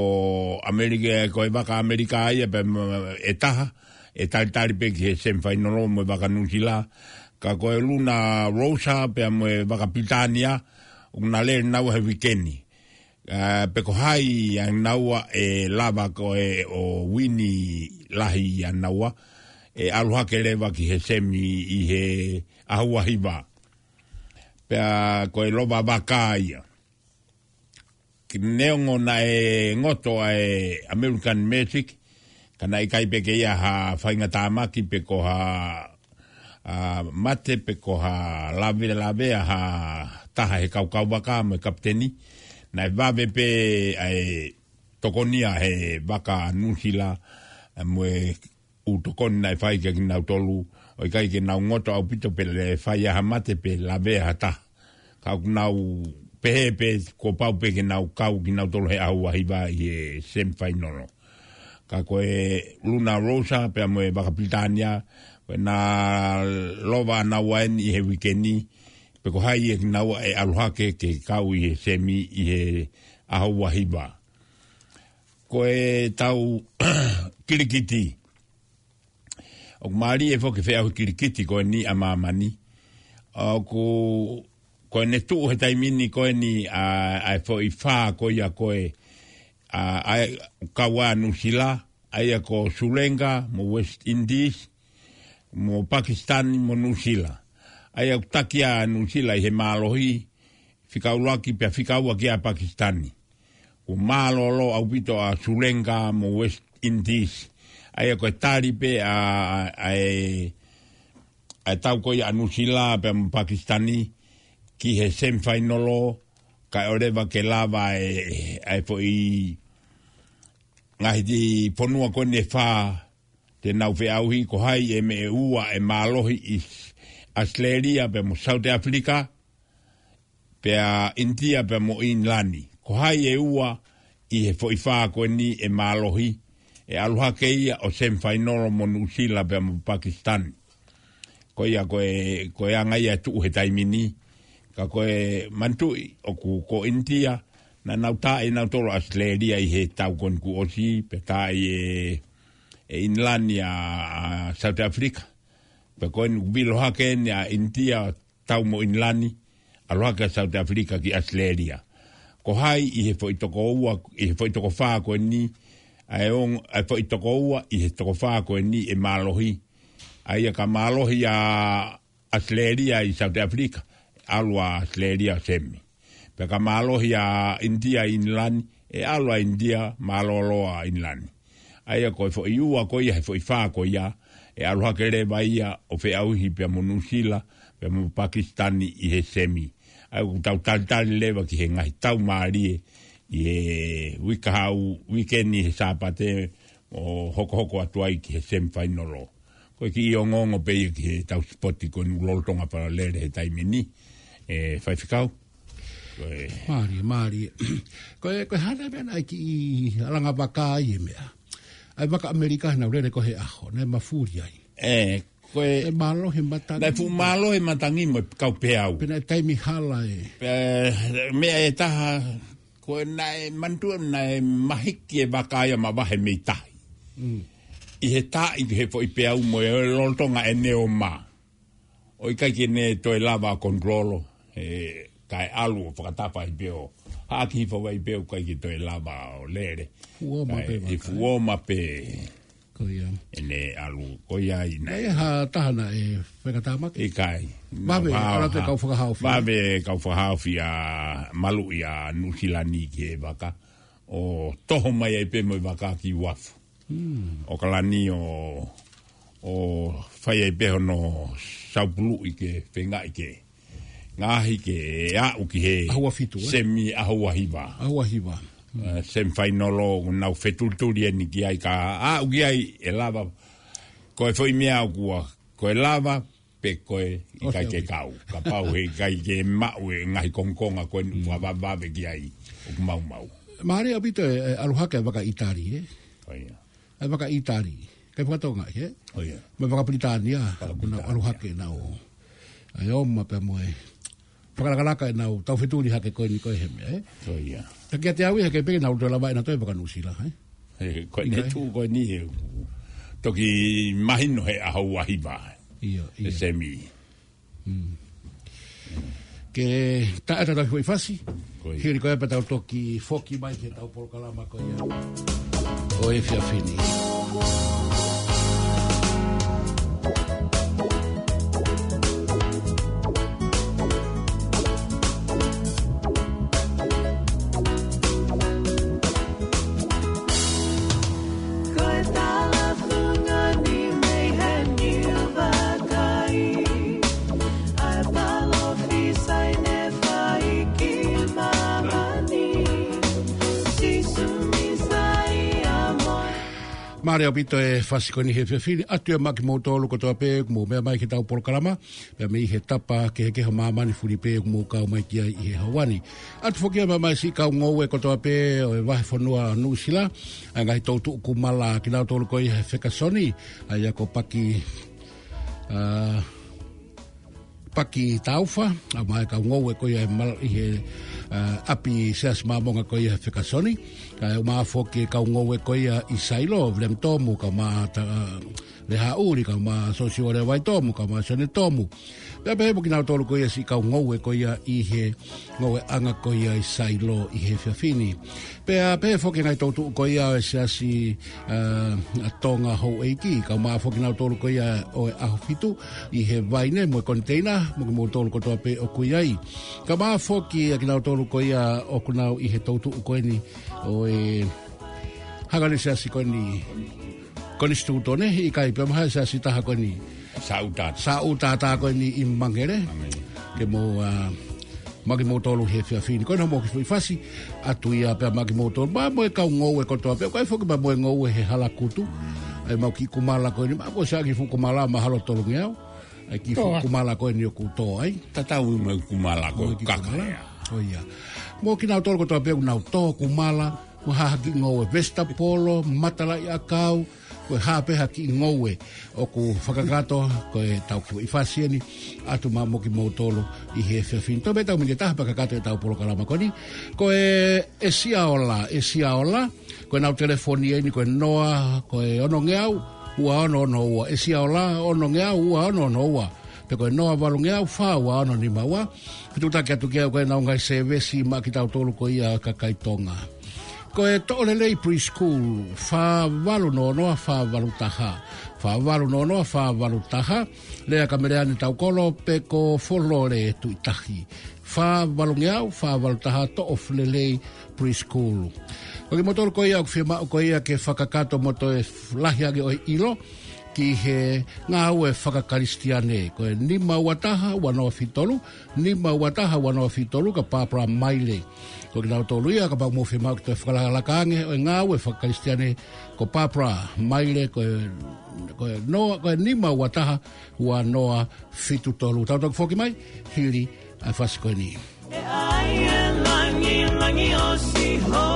ʻAmelika, ko e vaka ʻAmelika ia pea mo, ʻe taha, ʻe talitali pē ki he semifinal mo e vaka Nuʻusila. Ka ko e Luna Rosa pea mo e vaka Pilitānia, ʻoku na lele naua he uike ni. ʻA, pe ko hai ʻa naua ʻe lava ko ē ʻo uini lahi ʻa naua, ʻe ʻalu hake leva ki he semi ʻi he ʻaho ua hiva. Pea ko e lova vaka ia. Ki neongo naʻe ngoto ʻa e American Magic, ka naʻe ʻikai pē ke ʻi ai ha faingatāmaki pe ko ha, ʻa, mate pe ko ha lavelavea ha taha he kau kauvaka mo e kapiteni. Naʻe vave pē ʻa e tokonia he vaka Nuʻusila, ʻa, mo e ʻū tokoni naʻe fai kia kinautolu, ʻo ʻikai ke nau ngoto ʻaupito pe ʻe fai ha mate pe lavea ha taha. Ka ʻoku nau pehē pē kuo pau pē ke nau kau kinautolu he ʻaho ua hiva ʻi he semifinal. Ka ko e Luna Rosa pea mo e vaka Pilitānia, ko ʻena lova naua eni ʻi he uike ni, pe ko hai ʻe kinaua ʻe ʻalu hake ke kau ʻi he semi ʻi he ʻaho ua hiva. Ko ʻetau kilikiti. ʻOku mālie foki e feʻauhi kilikiti ko eni ʻa māmani. ʻOku, ko ʻene tuʻu he taimi ni ko eni ʻa, ʻa e foʻi fā ko ia ko ē, ʻa, ʻa e kau ʻa Nuʻusila, ʻa ia ko Sulenga, mo West Indies, mo Pakistan, mo Nuʻusila. ʻA ia ʻoku taki ʻa Nuʻusila ʻi he mālohi, fika ʻuluaki pea fika ua kia Pakisitani. Kuo mālōlō ʻaupito ʻa Sulenga mo West Indies. ʻA ia ko e tali pē ʻa, ʻa, ʻa e, ʻa e tau ko ia ʻa Nuʻusila pea mo Pakisitani ki he semifinal, kae ʻoua leva ke lava e, ʻa e foʻi ngaahi fonua ko eni ʻe fā te nau feʻauhi, ko hai e meʻa ʻe ua ʻe mālohi ʻi ʻAositelēlia pea mo South Africa, pea ʻInitia pea mo ʻIngilani. Ko hai e ua ʻi he foʻi fā ko eni ʻe mālohi, ʻe ʻalu hake ia ʻo semifinal mo Nuʻusila pea mo Pakisitani. Ko ia ko e, ko e anga ia ʻe tuʻu he taimi ni. Ka ko e manatuʻi ʻoku ko ʻInitia, naʻa nau taaʻi nautolu ʻAositelēlia ʻi he tau ko eni kuo ʻosi, pea taaʻi e, e ʻIngilani ʻa, ʻa South Africa. Pea ko eni ʻoku vilo hake eni ʻa ʻInitia tau mo ʻIngilani, ʻalu hake ʻa South Africa ki ʻAositelēlia. Ko hai ʻi he foʻi toko ua, ʻi he foʻi toko fā ko eni, ʻa e ongo, ʻa e foʻi toko ua ʻi he toko fā ko eni ʻe mālohi. ʻA ia ka mālohi ʻa ʻAositelēlia ʻi South Africa, ʻalu ʻa ʻAositelēlia ʻo semi. Pea ka mālohi ʻa ʻInitia ʻi ʻInilani, ʻe ʻalu ʻa ʻInitia mālōlō ʻa ʻInilani. ʻA ia ko e foʻi ua ko ia, he foʻi fā ko ia, ʻe ʻalu hake leva ia ʻo feʻauhi pea mo Nuʻusila, pea mo Pakisitani ʻi he semi. ʻA ia ʻoku tau talitali leva ki he ngaahi tau mālie, ʻi he uike kahaʻu, uike ni he Sāpate, ʻo hokohoko atu ai ki he semi fainolo. Ko e kiʻi ongoongo pē ia ki he tau sipoti ko eni ʻoku lolotonga pē ʻo lele he taimi ni, ʻe faifekau. Ko e mālie, mālie. Ko e, ko e hā nai meʻa naʻe kiʻi ʻalanga vaka ai e meʻa. ʻA e vaka ʻAmelika naʻa nau lele ko ē he ʻaho, naʻe mafuli ai. ʻE, ko e, naʻe mālohi e matangi. Naʻe fuʻu mālohi e matangi mo e kau peau. Pea naʻe taimi hala e. Pea, meʻa ʻe taha, ko e naʻe manatuʻi naʻe mahiki e vaka ia ʻo mavahe mei tahi. Mm. ʻI he taaʻi he foʻi peau mo e lolotonga ʻene ō mai. ʻO ʻikai ke ne toe lava ʻo konikolo, ʻe, kae ʻalu ʻo fakatafa ai pē ʻo haʻaki hifo ai pē ʻo ʻikai ke toe lava ʻo lele. Fuʻu ō mai pē. Kae, ʻe vaka. Fuʻu ō mai pē. Ko ia. ʻEne ʻalu, ko ia ʻi ai. Naʻe ʻi ai ha taha naʻe fakatamaki? ʻIkai. Vave, ʻalu atu e kau fakahaofi. Vave kau fakahaofi ʻa maluʻi ʻa Nuʻusila ni ki he vaka. ʻO toho mai ai pē mo e vaka ki uafu. Hmm. ʻO kalani ʻo, ʻo fai ai pē hono saupuluʻi ke feingaʻi ke ngaohi ke aʻu ki he ʻaho ua fitu, ē? Semi ʻaho ua hiva. ʻAho ua hiva. Hmm. Eh, semi fainolo, nau fetulituli eni ki ai ka aʻu ki ai ʻe lava. Ko e foʻi meʻa ʻoku ua, ko e lava, pe ko e ʻikai ke kau. Kapau he ʻikai ke maʻu e ngaahi kongokonga ko eni ʻoku vavevave ki ai, ʻoku maumau. Mālie ʻaupito e, e ʻalu hake e vaka ʻĪtali, ē? Ko ia. E vaka ʻĪtali. Kai fakatonga, ē? Ko ia. Mo e vaka Pilitānia, ʻoku nau ʻalu hake nau. ʻA e ō mai pea mo e fakalakalaka ʻenau tau fetuli hake ko eni ko e he meʻa, ē? Ko ia. Ka kiate au ia he ʻikai pē ke nau toe lava ʻenau toe vaka Nuʻusila, ē? He, ko e tuʻu ko eni he toki mahino he ʻaho ua hiva. ʻIo, ʻio. He semi. Mm. Ke taʻe tatau foʻi fasi. Ko ia. Hili ko ia pea tau toki foki mai ki heʻetau polokalama ko ia ʻo e efiafi ni. Ko e talafungani mei he niu vakai, ʻa e palōfisai ne fai ki māmani, Sīsū Mīsaia mo. Mālie ʻaupito e fasi ko eni he efiafi ni, ʻoatu ia maʻa kimoutolu kotoa pē ʻoku mou meʻa mai ki heʻetau polokalama. Pea mei he tapa kehekehe ʻo māmani fuli pē ʻoku mou kau mai ki ai ʻi he houa ni. ʻOatu foki ia maʻa e siʻi kau ngoue kotoa pē ʻo e vahefonua Nuʻusila, ʻa e ngaahi toutuʻu kumala kinautolu ko ia he fekasoni, ʻa ia ko Paki, ʻa, Paki Taufa, ʻa, maʻa e kau ngoue ko ia ʻi he mal-, ʻi he, ʻa, ʻapi Siasi Māmonga ko ia he fekasoni, ʻa, ʻumaʻā foki e kau ngoue ko ia ʻi Sailo, Vilemi Tomu, kae ʻumaʻā, ʻa, Lehaʻuli, kae ʻumaʻā Sosiua Levaitomu, kae ʻumaʻā Sione Tomu. Pea pehē mo kinautolu ko ia siʻi kau ngoue ko ia ʻi he ngoueʻanga ko ia ʻi Sailo ʻi he efiafi ni. Pea pehē foki ngaahi toutuʻu ko ia ʻo e siasi, ʻa, ʻa Tonga Houʻeiki, kae ʻumaʻā foki kinautolu ko ia ʻo e ʻAhofitu ʻi he vaine mo e koniteina, mo kimoutolu kotoa pē ʻoku ʻi ai. Kae ʻumaʻā foki ʻa kinautolu ko ia ʻoku nau ʻi he toutuʻu ko eni ʻo e hangani siasi ko eni Konisitūtone, ʻikai pē maha e siasi taha ko eni. Sāʻuta. Sāʻuta ko eni ʻi Mangere. Mangere. Ke mou, ʻa, maʻa kimoutolu he efiafi ni. Ko ena mo e kiʻi foʻi fasi, ʻoatu ia pea maʻa kimoutolu. Maʻa mo e kau ngoue kotoa pē, ʻoku ʻi ai foki maʻa mo e ngoue he hala kutu. Mm. ʻA e maʻu kiʻi kumala ko eni, maʻa ko e siʻaki fuʻu kumala mahalo tolungeau. ʻA e kiʻi fuʻu kumala ko eni ʻoku tō ai. Tatau mo e kumala ko e kaka ia. ʻIo. Mo kinautolu kotoa pē ʻoku nau tō kumala, mo ha kiʻi ngoue vesitapolo, matalaʻiʻakau, ko e hā pē ha kiʻi ngoue ʻoku fakakakato, ko ʻetau kiʻi fasi eni, ʻoatu maʻa mo kimoutolu ʻi he efiafi ni. Toe pē tau miniti ʻe taha pea kakato ʻetau polokalama ko eni. Ko e ʻEsiaola, ʻEsiaola, ko ʻenau telefoni eni, ko e noa, ko e onongeau, ua ono ono ua, ʻEsiaola, onongeau, ua ono ono ua. Pe ko e noa valungeau, fā ua ono nima ua. Fetuʻutaki atu ki ai ko ʻenau ngaahi sēvesi maʻa kitautolu ko ia kakai Tonga. Ko e Toʻolelei Preschool, fā valu noa noa, fā valu taha. Fā valu noa noa, fā valu taha, Lea Kameleane Taukolo pe ko Folole Tuʻitahi. Fā valungeau, fā valu taha Toʻofulelei Preschool. Ko kimoutolu ko ia ʻoku fiemaʻu ko ia ke fakakakato mo toe lahi ange ʻo e ʻilo ki he ngāue fakakalisitiane, ko e nima ua taha ua noa fitu tolu, nima ua taha ua noa fitu tolu, ka Barbara Maile. Ko kinautolu ia kapau ʻoku mou fiemaʻu ke toe fakalakalaka ange ʻo e ngāue fakakalisitiane, ko Barbara Maile, ko e, ko e noa, ko e nima ua taha ua noa fitu tolu. Tau toki foki mai hili ʻa e fasi ko eni. E ai e langi, langi ʻo siho.